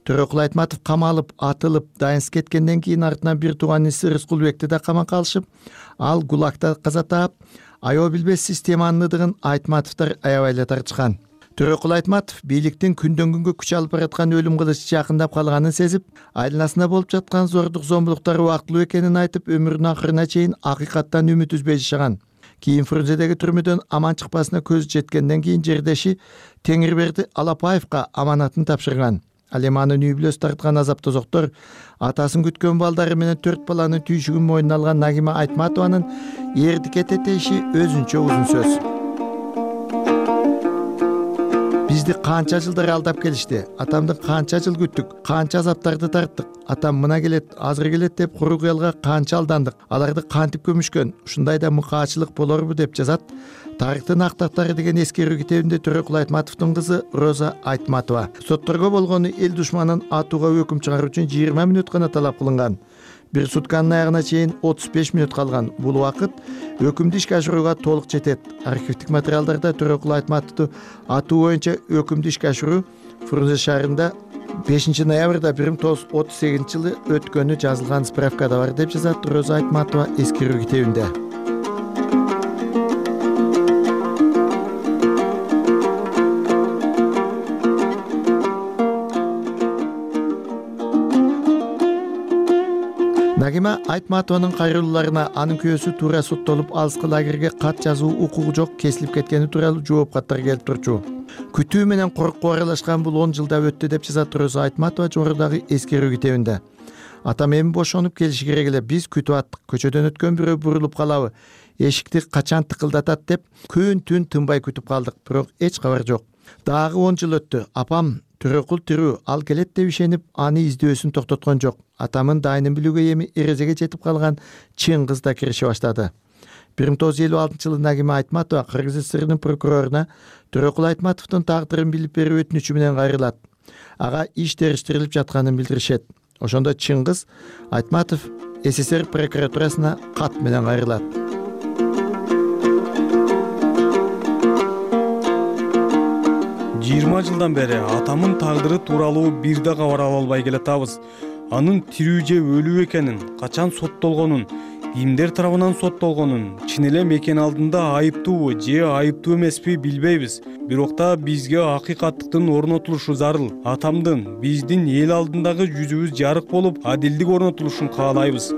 Төрөкул Айтматов камалып, атылып, дайынсыз кеткенден кийин артынан бир тууган иниси Рыскулбекти да камакка алышып, ал ГУЛАГта каза таап, аябай билбес системанын ыдыгын Айтматовдор аябай эле тартышкан. Төрөкул Айтматов бийликтин күндөн күнгө күч алып бараткан өлүм кылычы жакындап калганын сезип, айланасында болуп жаткан зордук зомбулуктар убактылуу экенин айтып, өмүрүнүн акырына чейин акыйкаттан үмүт үзбөй жашаган. Кийин Фрунзедеги түрмөдөн аман чыкпасына көзү жеткенден кийин жердеши Теңирберди Алапаевка аманатын тапшырган. Ал эми анын үй бүлөсү тарткан азап тозоктор атасын күткөн балдары менен 4 баланын түйшүгүн мойнуна алган Нагима Айтматованын эрдикке тетеши өзүнчө узун сөз. Бизди канча жылдар алдап келишти, атамды канча жыл күттүк, канча азаптарды тарттык. Атам мына келет, азыр келет деп куру кыялга канча алдандык. Аларды кантип көмүшкөн, ушундайда мукаачылык болорбу деп жазат Тарыхтын актактары деген эскерүү китебинде Төрөкул Айтматовдун кызы Роза Айтматова. Сотторго болгону эл душманын атууга өкүм чыгаруу үчүн 20 мүнөт гана талап кылынган. Бир сутканын аягына чейин 35 мүнөт калган. Бул убакыт өкүмдү ишке ашырууга толук жетет. Архивдик материалдарда Төрөкул Айтматовду атуу боюнча өкүмдү ишке ашыруу Фрунзе шаарында 5 ноябрда 1938 жылы өткөнү жазылган справкада бар деп жазат Роза Айтматова эскерүү китебинде. Нагима Айтматованын кайрылууларына анын күйөөсү туура соттолуп алыскы лагерге кат жазуу укугу жок кесилип кеткени тууралуу жооп каттар келип турчу. Күтүү менен коркуу аралашкан бул 10 жылда өттү деп жазат Роза Айтматова жогорудагы эскерүү китебинде. Атам эми бошонуп келиши керек эле, биз күтүп аттык, көчөдөн өткөн бирөө бурулуп калабы, эшикти качан тыкылдатат деп күн-түн тынбай күтүп калдык, бирок эч кабар жок. Дагы 10 жыл өттү. Апам Төрөкул тирүү, ал келет деп ишенип, аны издөөсүн токтоткон жок. Атамын дайынын билүүгө эми эрезеге жетип калган Чыңгыз да киреше баштады. 1956 жылы Нагима Айтматова Кыргыз ССРнын прокуроруна Төрөкул Айтматовдун тагдырын билип берүү өтүнүчү менен кайрылат. Ага иш териштирилип жатканын билдиришет. Ошондо Чыңгыз Айтматов СССР прокуратурасына кат менен кайрылат. Жылдан бери атамын тагдыры тууралуу бир да кабар ала албай келатабыз. Анын тирүү же өлүү экенин, качан соттолгонун, кимдер тарабынан соттолгонун, чын эле мекен алдында айыптуубу же айыптуу эмеспи билбейбиз. Бирок да бизге акыйкаттыктын орнотулушу зарыл. Атамдын, биздин эл алдындагы жүзүбүз жарык болуп, адилдик орнотулушун каалайбыз.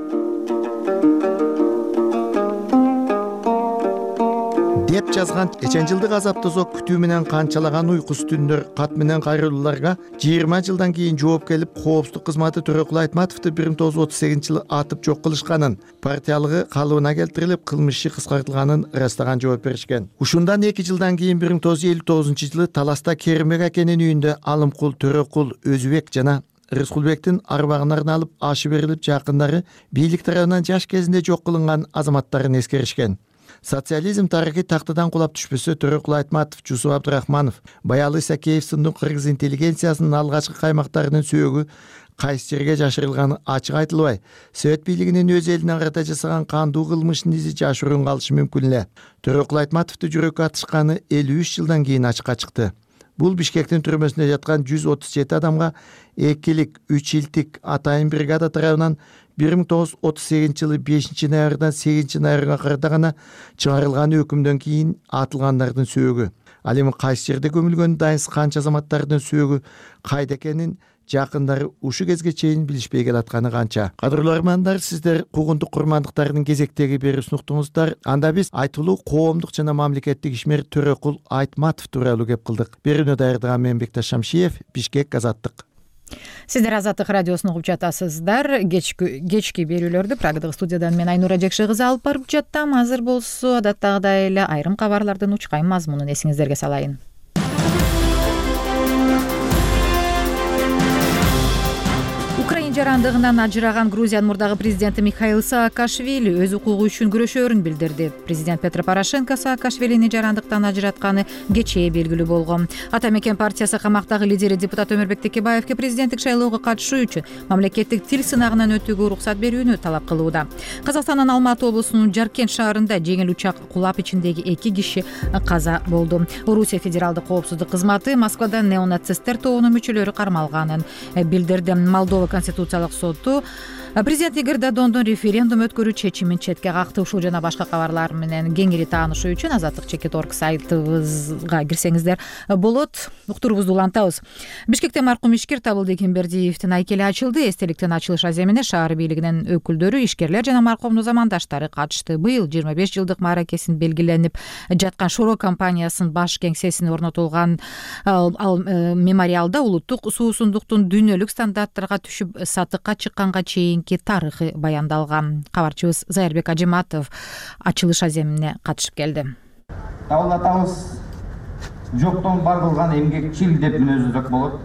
Деп жазган 5 жылдык азап тозок күтүү менен канчалаган уйкусуз түндөр кат менен кайрылууларга 20 жылдан кийин жооп келип, коопсуздук кызматы Төрөкул Айтматовду 1938 жылы атып жок кылышканын, партиялыгы калыбына келтирилип, кылмыш иши кыскартылганын ырастаган жооп беришкен. Ушундан 2 жылдан кийин 1959 жылы Таласта Керимбек акенин үйүндө Алымкул, Төрөкул, Өзүбек жана Рыскулбектин арбагын арналып ашы берилип, жакындары бийлик тарабынан жаш кезинде жок кылынган азаматтарын эскеришкен. Социализм тарыхый тактыдан кулап түшпөсө, Төрөкул Айтматов, Жусуп Абдрахманов, Баялы Исакеев сынды кыргыз интеллигенциясынын алгачкы каймактарынын сөөгү кайсы жерге жашырылганы ачык айтылбай, Совет бийлигинин өз элине карата жасаган кандуу кылмыштын изи жашыруун калышы мүмкүн эле. Төрөкул Айтматовду жүрөккө атышканы 53 жылдан кийин ачыкка чыкты. Бул Бишкектин түрмөсүндө жаткан 137 адамга 2-лик, 3-илтик атайын бригада тарабынан 1938 жылы 5 ноябрдан 8 ноябрга карата гана чыгарылган өкүмдөн кийин атылгандардын сөөгү. Ал эми кайсы жерде көмүлгөнү дайынсыз канча азаматтардын сөөгү кайда экенин жакындары ушу кезге чейин билишпей келатканы канча. Кадырлуу армандар, сиздер куугунтук курмандыктардын кезектеги берүүсүн уктуңуздар. Анда биз айтылуу коомдук жана мамлекеттик ишмер Төрөкул Айтматов тууралуу кеп кылдык. Берүүнү даярдаган мен Бекташ Шамшиев, Бишкек, Азаттык. Сиздер Азаттык радиосун угуп жатасыздар. Кечки берүүлөрдү Прагадагы студиядан мен Айнура Жекше кызы алып барып жаттам. Азыр болсо адаттагыдай эле айрым кабарлардын учкайын мазмунун эсиңиздерге салайын. жарандыгынан ажыраган Грузиянын мурдагы президенти Михаил Саакашвили өз укугу үчүн күрөшөөрүн билдирди. Президент Петро Порошенко Саакашвилини жарандыктан ажыратканы кечээ белгилүү болгон. Ата мекен партиясы камактагы лидери депутат Өмүрбек Текебаевге президенттик шайлоого катышуу үчүн мамлекеттик тил сынагынан өтүүгө уруксат берүүнү талап кылууда. Казакстандын Алматы облусунун Жаркент шаарында жеңил учак кулап ичиндеги 2 киши каза болду. Орусия федералдык коопсуздук кызматы Москвада неонацисттер тобунун мүчөлөрү кармалганын билдирди. Молдова конституциялык соту Президент Игорь Додондун референдум өткөрүү чечимин четке какты. Ушул жана башка кабарлар менен кеңири таанышуу үчүн Азаттык.org сайтыбызга кирсеңиздер болот. Уктуруубузду улантабыз. Бишкекте маркум ишкер Табылды Эгембердиевдин айкели ачылды. Эстеликтин ачылыш аземине шаар бийлигинин өкүлдөрү, ишкерлер жана маркумдун замандаштары катышты. Быйыл 25 жылдык мааракесин белгиленип жаткан Шоро компаниясынын баш кеңсесине орнотулган ал мемориалда улуттук суусундуктун дүйнөлүк стандарттарга түшүп сатыкка чыкканга чейинки тарыхы баяндалган. Кабарчыбыз Зайырбек Ажиматов ачылыш аземине катышып келди. Табылды атабыз жоктон бар кылган эмгекчил деп мүнөздөк болот.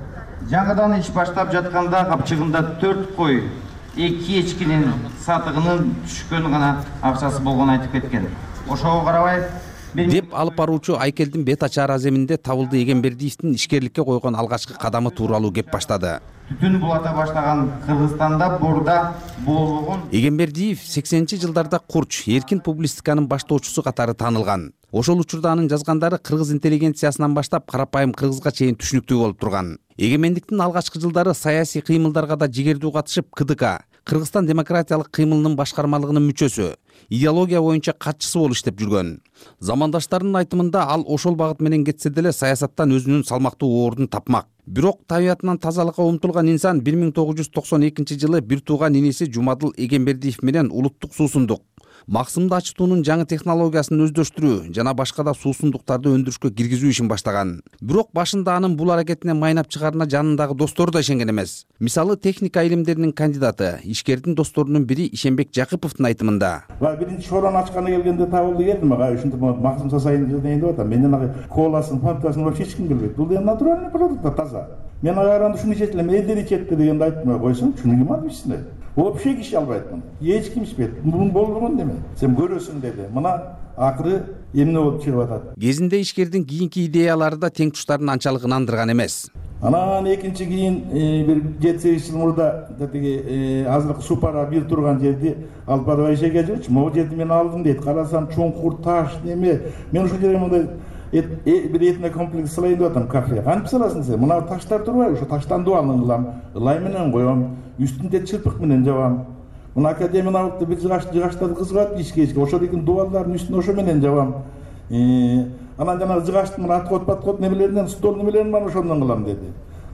Жаңыдан иш баштап жатканда капчыгында 4 кой, 2 эчкинин сатыгынын түшкөн гана акчасы болгонун айтып кеткен. Ошого карабай деп алып баруучу айкелдин бет ачар аземинде Табылды Эгембердиевдин ишкерликке койгон алгачкы кадамы тууралуу кеп баштады. Түтүн булата баштаган Кыргызстанда бурда болгон Эгембердиев 80-жылдарда курч, эркин публистиканын баштоочусу катары таанылган. Ошол учурда анын жазгандары кыргыз интеллигенциясынан баштап карапайым кыргызга чейин түшүнүктүү болуп турган. Эгемендиктин алгачкы жылдары саясий кыймылдарга да жигердүү катышып, КДК, Кыргызстан демократиялык кыймылынын башкармалыгынын мүчөсү, идеология боюнча катчысы болуп иштеп жүргөн. Замандаштарынын айтымында ал ошол багыт менен кетсе деле саясаттан өзүнүн салмактуу ордун тапмак. Бирок табиятынан тазалыкка умтулган инсан 1992-жылы бир тууган иниси Жумадыл Эгембердиев менен улуттук суусундук, максымды ачытуунун жаңы технологиясын өздөштүрүү жана башка да суусундуктарды өндүрүшкө киргизүү ишин баштаган. Бирок башында анын бул аракетине майнап чыгарына жанындагы достору да ишенген эмес. Мисалы, техника илимдеринин кандидаты, ишкердин досторунун бири Ишенбек Жакыповдун айтымында: биринчи шорону ачканы келгенде Табылды келдим, ушинтип максым жасайын дейин деп атам. Менден коласын, фантасын вообще эч ким билбейт. Бул деген натуральный продукт, таза. Мен агаранда ушуну ичет элем, элдер ичет дегенди айттым, койсоң, шуну ким алып ичсин? Вообще киши албайт муну. Эч ким ичпейт. Бул болгон неме? Сен көрөсүң деди. Мына акыры эмне болуп чыгып атат. Кезинде ишкердин кийинки идеялары да тең туштарын анчалык ынандырган эмес. Анан экинчи кийин бир 7-8 жыл мурда тетиги азыркы Супара бир турган жерди алып барып Айшеге жүрчү. Могу жерди мен алдым дейт. Карасам чоңкур таш неме. Мен ушул жерге мындай бир этно комплекс салайын деп атам, кафе. Кантип саласың сен? Мына таштар турбайбы? Ошо таштан дубалын кылам, ылай менен коем, үстүндө чырпык менен жабам. Мына академиялыкты бир жыгаштарды кызгат ишке. Ошол эки дубалдардын үстүнө ошо менен жабам. Анан жана жыгаштын мына аткот немелеринен, стол немелерин бар, ошондон кылам деди.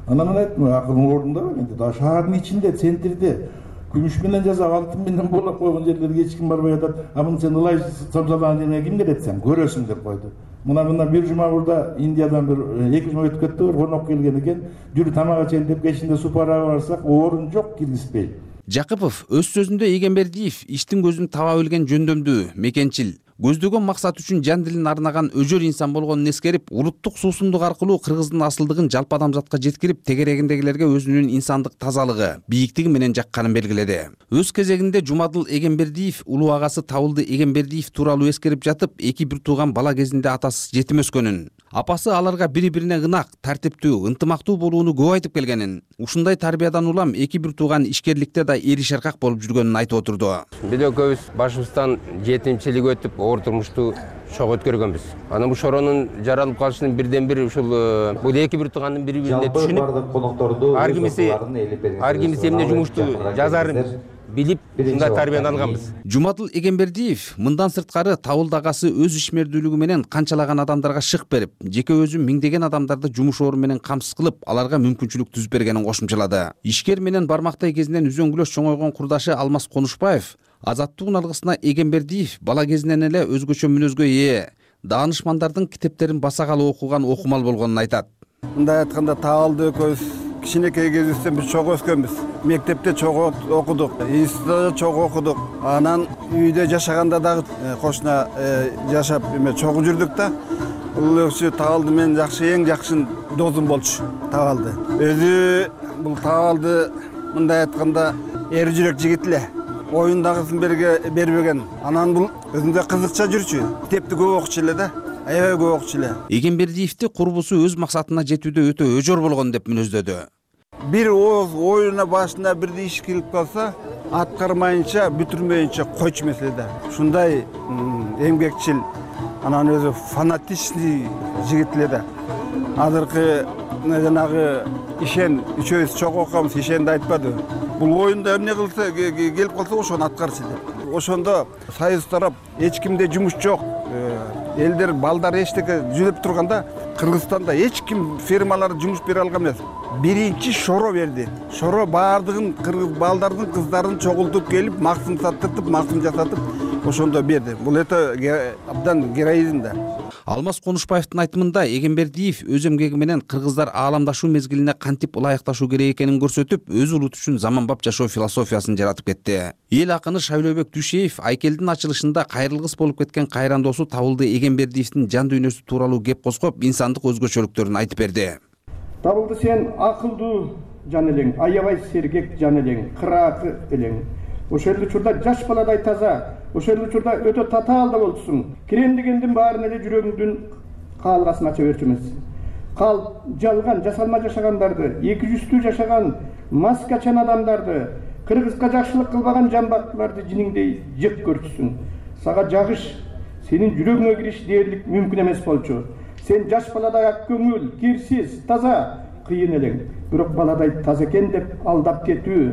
Анан мен айттым, акылың ордунда менде. Да шаардын ичинде, центрде күмүш менен жасап, алтын менен болоп койгон жерлерге эч ким барбай атат. А муну сен ылай самсалаган жерге ким келет сен? Көрөсүң деп койду. Мына бир жума мурда Индиядан бир 2 жума өтүп кетти, конок келген экен. Жүрү тамак ичели деп кечинде Супарага барсак, орун жок, киргизбей. Жакыпов өз сөзүндө Эгембердиев иштин көзүн таба билген жөндөмдүү, мекенчил, көздөгөн максат үчүн жан дилин арнаган өжөр инсан болгонун эскерип, улуттук суусундук аркылуу Кыргыздын асылдыгын жалпы адамзатка жеткирип, тегерегиндегилерге өзүнүн инсандык тазалыгы, бийиктиги менен жакканын белгиледи. Өз кезегинде Жумадыл Эгембердиев улуу агасы Табылды Эгембердиев тууралуу эскерип жатып, бир тууган бала кезинде атасыз жетим өскөнүн, апасы аларга бири-бирине ынак, тартиптүү, ынтымактуу болууну көп айтып келгенин, ушундай тарбиядан улам бир тууган ишкерликте да эри шаркак болуп жүргөнүн айтып отурду. Биз көбүз башыбыздан жетимчилик өтүп, оор турмушту чок өткөргөнбүз. Анан бул шоронун жаралып калышынын бирден бири ушул бул бир туугандын бири-бирине түшүнүп, конокторду ар кимиси эмне жумушту жазарын билип, ушундай тарбияны алганбыз. Жумадыл Эгембердиев мындан сырткары Табылды агасы өз ишмердүүлүгү менен канчалаган адамдарга шык берип, жеке өзү миңдеген адамдарды жумуш орду менен камсыз кылып, аларга мүмкүнчүлүк түзүп бергенин кошумчалады. Ишкер менен бармактай кезинен үзөңгүлөш чоңойгон курдашы Алмаз Конушбаев азаттык алгысына Эгембердиев бала кезинен эле өзгөчө мүнөзгө ээ, даанышмандардын китептерин басагалы окуган окумал болгонун айтат. Мындай айтканда Табылды экөөбүз кичинекей кезибизден биз чогуу өскөнбүз. Мектепте чогуу окудук, институтта чогуу окудук. Анан үйдө жашаганда дагы кошуна жашап чогуу жүрдүк да. Бул өкчү Табылды менен эң жакшы досум болчу. Табылды. Өзү бул Табылды мындай айтканда эр жүрөк жигит эле. Оюндагысын бербеген. Анан бул өзүндө кызыкча жүрчү. Китепти көп окучу эле да. Аябай көп окучу эле. Эгембердиевди курбусу өз максатына жетүүдө өтө өжөр болгон деп мүнөздөдү. Бир оюна башына бирди иш келип калса, аткармайынча, бүтүрмөйүнчө койчу маселеде. Ушундай эмгекчил, анан өзү фанатичный жигит эле да. Азыркы жанагы ишен үчөөбүз чогуу окуябыз, ишенди айтпады. Бул оюнда эмне кылса келип калса ошону аткарчы деп. Ошондо союз тарап эч кимде жумуш жок. Элдер балдар эчтеке жүзүп турганда Кыргызстанда эч ким фирмалар жумуш бере алган эмес. Биринчи шоро берди. Шоро баардыгын кыргыз балдардын, кыздарын чогултуп келип, максым саттыртып, максым жасатып ошондо берди. Бул абдан героизм да. Алмаз Конушбаевдин айтымында Эгембердиев өз эмгеги менен кыргыздар ааламдашуу мезгилине кантип ылайыкташуу керек экенин көрсөтүп, өз улут үчүн заманбап жашоо философиясын жаратып кетти. Эл акыны Шайлообек Дүйшеев Айкелдин ачылышында кайрылгыс болуп кеткен кайрандоосу Табылды Эгембердиевдин жан дүйнөсү тууралуу кеп козгоп, инсандык өзгөчөлүктөрүн айтып берди. Табылды, сен акылдуу жан элең, аябай сергек жан элең, кыраакы элең. Ошол учурда жаш баладай таза, ошол учурда өтө татаал да болчусуң. Кирем дегендин баарын эле жүрөгүңдүн каалгасын ача берчү эмес. Кал жалган, жасалма жашагандарды, эки жүздүү жашаган маскачан адамдарды, кыргызга жакшылык кылбаган жамбактыларды жиниңдей жек көрчүсүң. Сага жагыш, сенин жүрөгүңө кириш дээрлик мүмкүн эмес болчу. Сен жаш баладай ак көңүл, кирсиз, таза, кыйын элең. Бирок баладай таза экен деп алдап кетүү,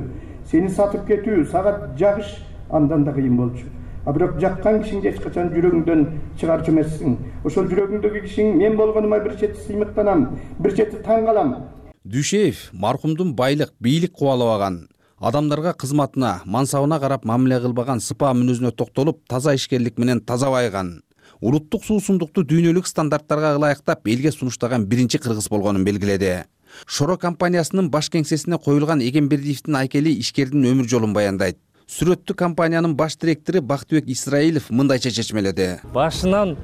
сени сатып кетүү сага жагыш андан да кыйын болчу. Бирок жаккан кишиңди эч качан жүрөгүңдөн чыгарчу эмессиң. Ошол жүрөгүңдөгү кишиң мен болгонума бир чети сыймыктанам, бир чети таң калам. Дүйшеев маркумдун байлык, бийлик кубалабаган, адамдарга кызматына, мансабына карап мамиле кылбаган сыпаа мүнөзүнө токтолуп, таза ишкерлик менен таза байыган, улуттук суусундукту дүйнөлүк стандарттарга ылайыктап элге сунуштаган биринчи кыргыз болгонун белгиледи. Шоро компаниясынын баш кеңсесине коюлган Эгембердиевдин айкели ишкердин өмүр жолун баяндайт. Сүрөттүү компаниянын баш директору Бактыбек Исраилов мындайча чечмеледи. Башынан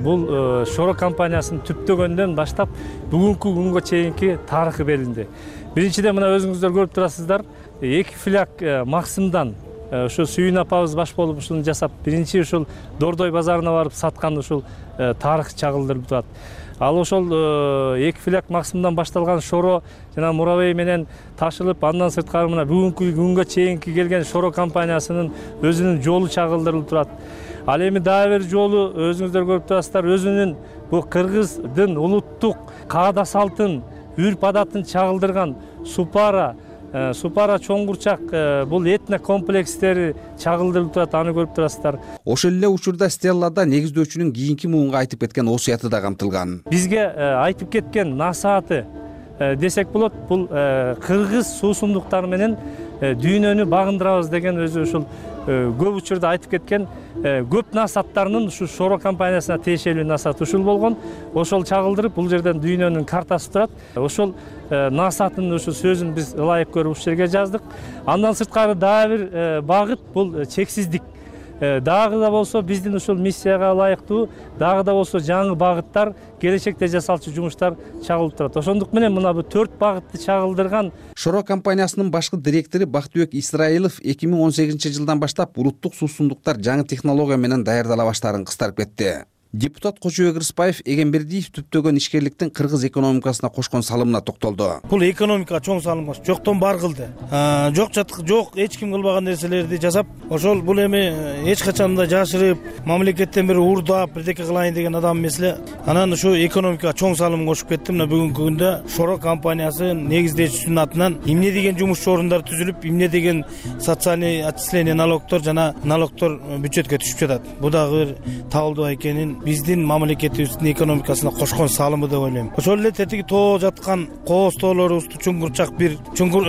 бул Шоро компаниясын түптөгөндөн баштап бүгүнкү күнгө чейинки тарыхы белинди. Биринчиден мына өзүңүздөр көрүп турасыздар, 2 фляг Максымдан ошо Сүйүн апабыз баш болуп ушуну жасап, биринчи ушул Дордой базарына барып саткан ушул тарых чагылдырып турат. Ал ошол 2 фляг Максымдан башталган Шоро жана Муравей менен ташылып, андан сырткары мына бүгүнкү күнгө чейинки келген Шоро компаниясынын өзүнүн жолу чагылдырылып турат. Ал эми дагы бир жолу өзүңүздөр көрүп турасыздар, өзүнүн бул кыргыздын улуттук каада салтын, үрп адатын чагылдырган Супара чоңгурчак бул этно комплекстери чагылдырылып турат, аны көрүп турасыздар. Ошол эле учурда стеллада негиздөөчүнүн кийинки муунга айтып кеткен осуяты да камтылган. Бизге айтып кеткен насааты десек болот, бул кыргыз суусундуктары менен дүйнөнү багындырабыз деген өзү ушул көп учурда айтып кеткен көп насааттарынын ушу Шоро компаниясына тиешелүү насаат ушул болгон. Ошол чагылдырып, бул жерден дүйнөнүн картасы турат. Ошол насаатын ушу сөзүн биз ылайык көрүп ушул жерге жаздык. Андан сырткары дагы бир багыт бул чексиздик. Дагы да болсо биздин ушул миссияга ылайыктуу, дагы да болсо жаңы багыттар, келечекте жасалчу жумуштар чагылып турат. Ошондук менен мына бул 4 багытты чагылдырган Шоро компаниясынын башкы директору Бактыбек Исраилов 2018-жылдан баштап улуттук суусундуктар жаңы технология менен даярдала баштаарын кыстарып кетти. Депутат Кожобек Рыспаев Эгембердиев түптөгөн ишкерликтин кыргыз экономикасына кошкон салымына токтолду. Бул экономикага чоң салым кош, жоктон бар кылды. Жок эч ким кылбаган нерселерди жасап, ошол бул эми эч качан да жашырып, мамлекеттен бир урдап, бирдеке кылайын деген адам эмес эле. Анан ушу экономикага чоң салым кошуп кетти. Мына бүгүнкү күндө Шоро компаниясы негиздөөчүсүнүн атынан эмне деген жумуш орундар түзүлүп, эмне деген социальный отчисление налогтор жана налогтор бюджетке түшүп жатат. Бул дагы бир Табылды Айкенин биздин мамлекетибиздин экономикасына кошкон салымы деп ойлойм. Ошол эле тетиги тоо жаткан кооз тоолорубузду чуңгурчак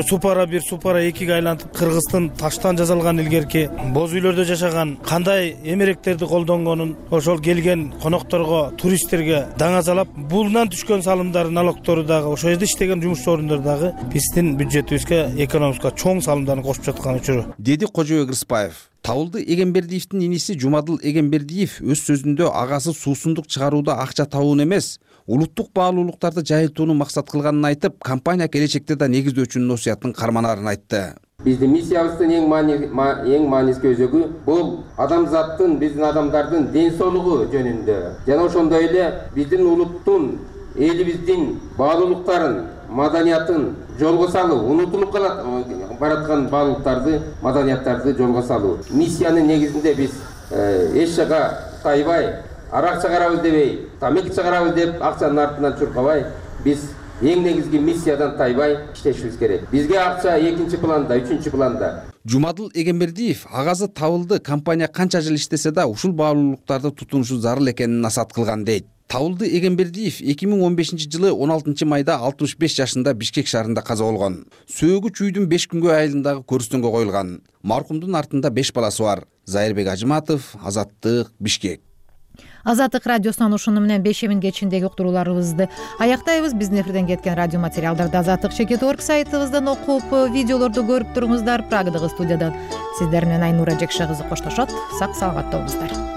Супара 1, Супара 2ге айлантып, Кыргыздын таштан жасалган илгерки боз үйлөрдө жашаган, кандай эмеректерди колдонгонун ошол келген конокторго, туристтерге даңазалап, булдан түшкөн салымдар, налогтору дагы, ошол жерде иштеген жумуш орундар дагы биздин бюджетибизге, экономикага чоң салымдарды кошуп жаткан учуру, деди Кожобек Рыспаев. Табылды Эгембердиевдин иниси Жумадыл Эгембердиев өз сөзүндө агасы суусундук чыгарууда акча табуун эмес, улуттук баалуулуктарды жайылтууну максат кылганын айтып, компания келечекте да негиздөөчүнүн осуятын карманаарын айтты. Биздин миссиябыздын эң маанилүү өзөгү бул адамзаттын, биздин адамдардын ден соолугу жөнүндө жана ошондой эле биздин улуттун, элибиздин баалуулуктарын, маданиятын жолго салуу, унутулуп бараткан баалуулуктарды, маданияттарды жолго салуу. Миссиянын негизинде биз эч жака тайбай, арак чыгарабыз дебей, тамек чыгарабыз деп акчанын артынан чуркабай, биз эң негизги миссиядан тайбай иштешибиз керек. Бизге акча экинчи планда, үчүнчү планда. Жумадыл Эгембердиев агазы табылды, компания канча жыл иштесе да ушул баалуулуктарды тутунушу зарыл экенин насаат кылган дейт. Табылды Эгембердиев 2015 жылы 16 майда 65 жашында Бишкек шаарында каза болгон. Сөөгү чүйдүн 5 күнгө айылындагы көрүстөнгө коюлган. Маркумдун артында 5 баласы бар. Зайырбек Ажыматов, Азаттык, Бишкек. Азаттык радиосунан ушуну менен 5 кечиндеги уктурууларыбызды аяктайбыз. Биздин эфирден кеткен радио материалдарды azattik.org сайтыбыздан окуп, видеолорду көрүп туруңуздар. Прагадагы студиядан сиздер менен Айнура Жекше кызы коштошот. Сак саламатта болуңуздар.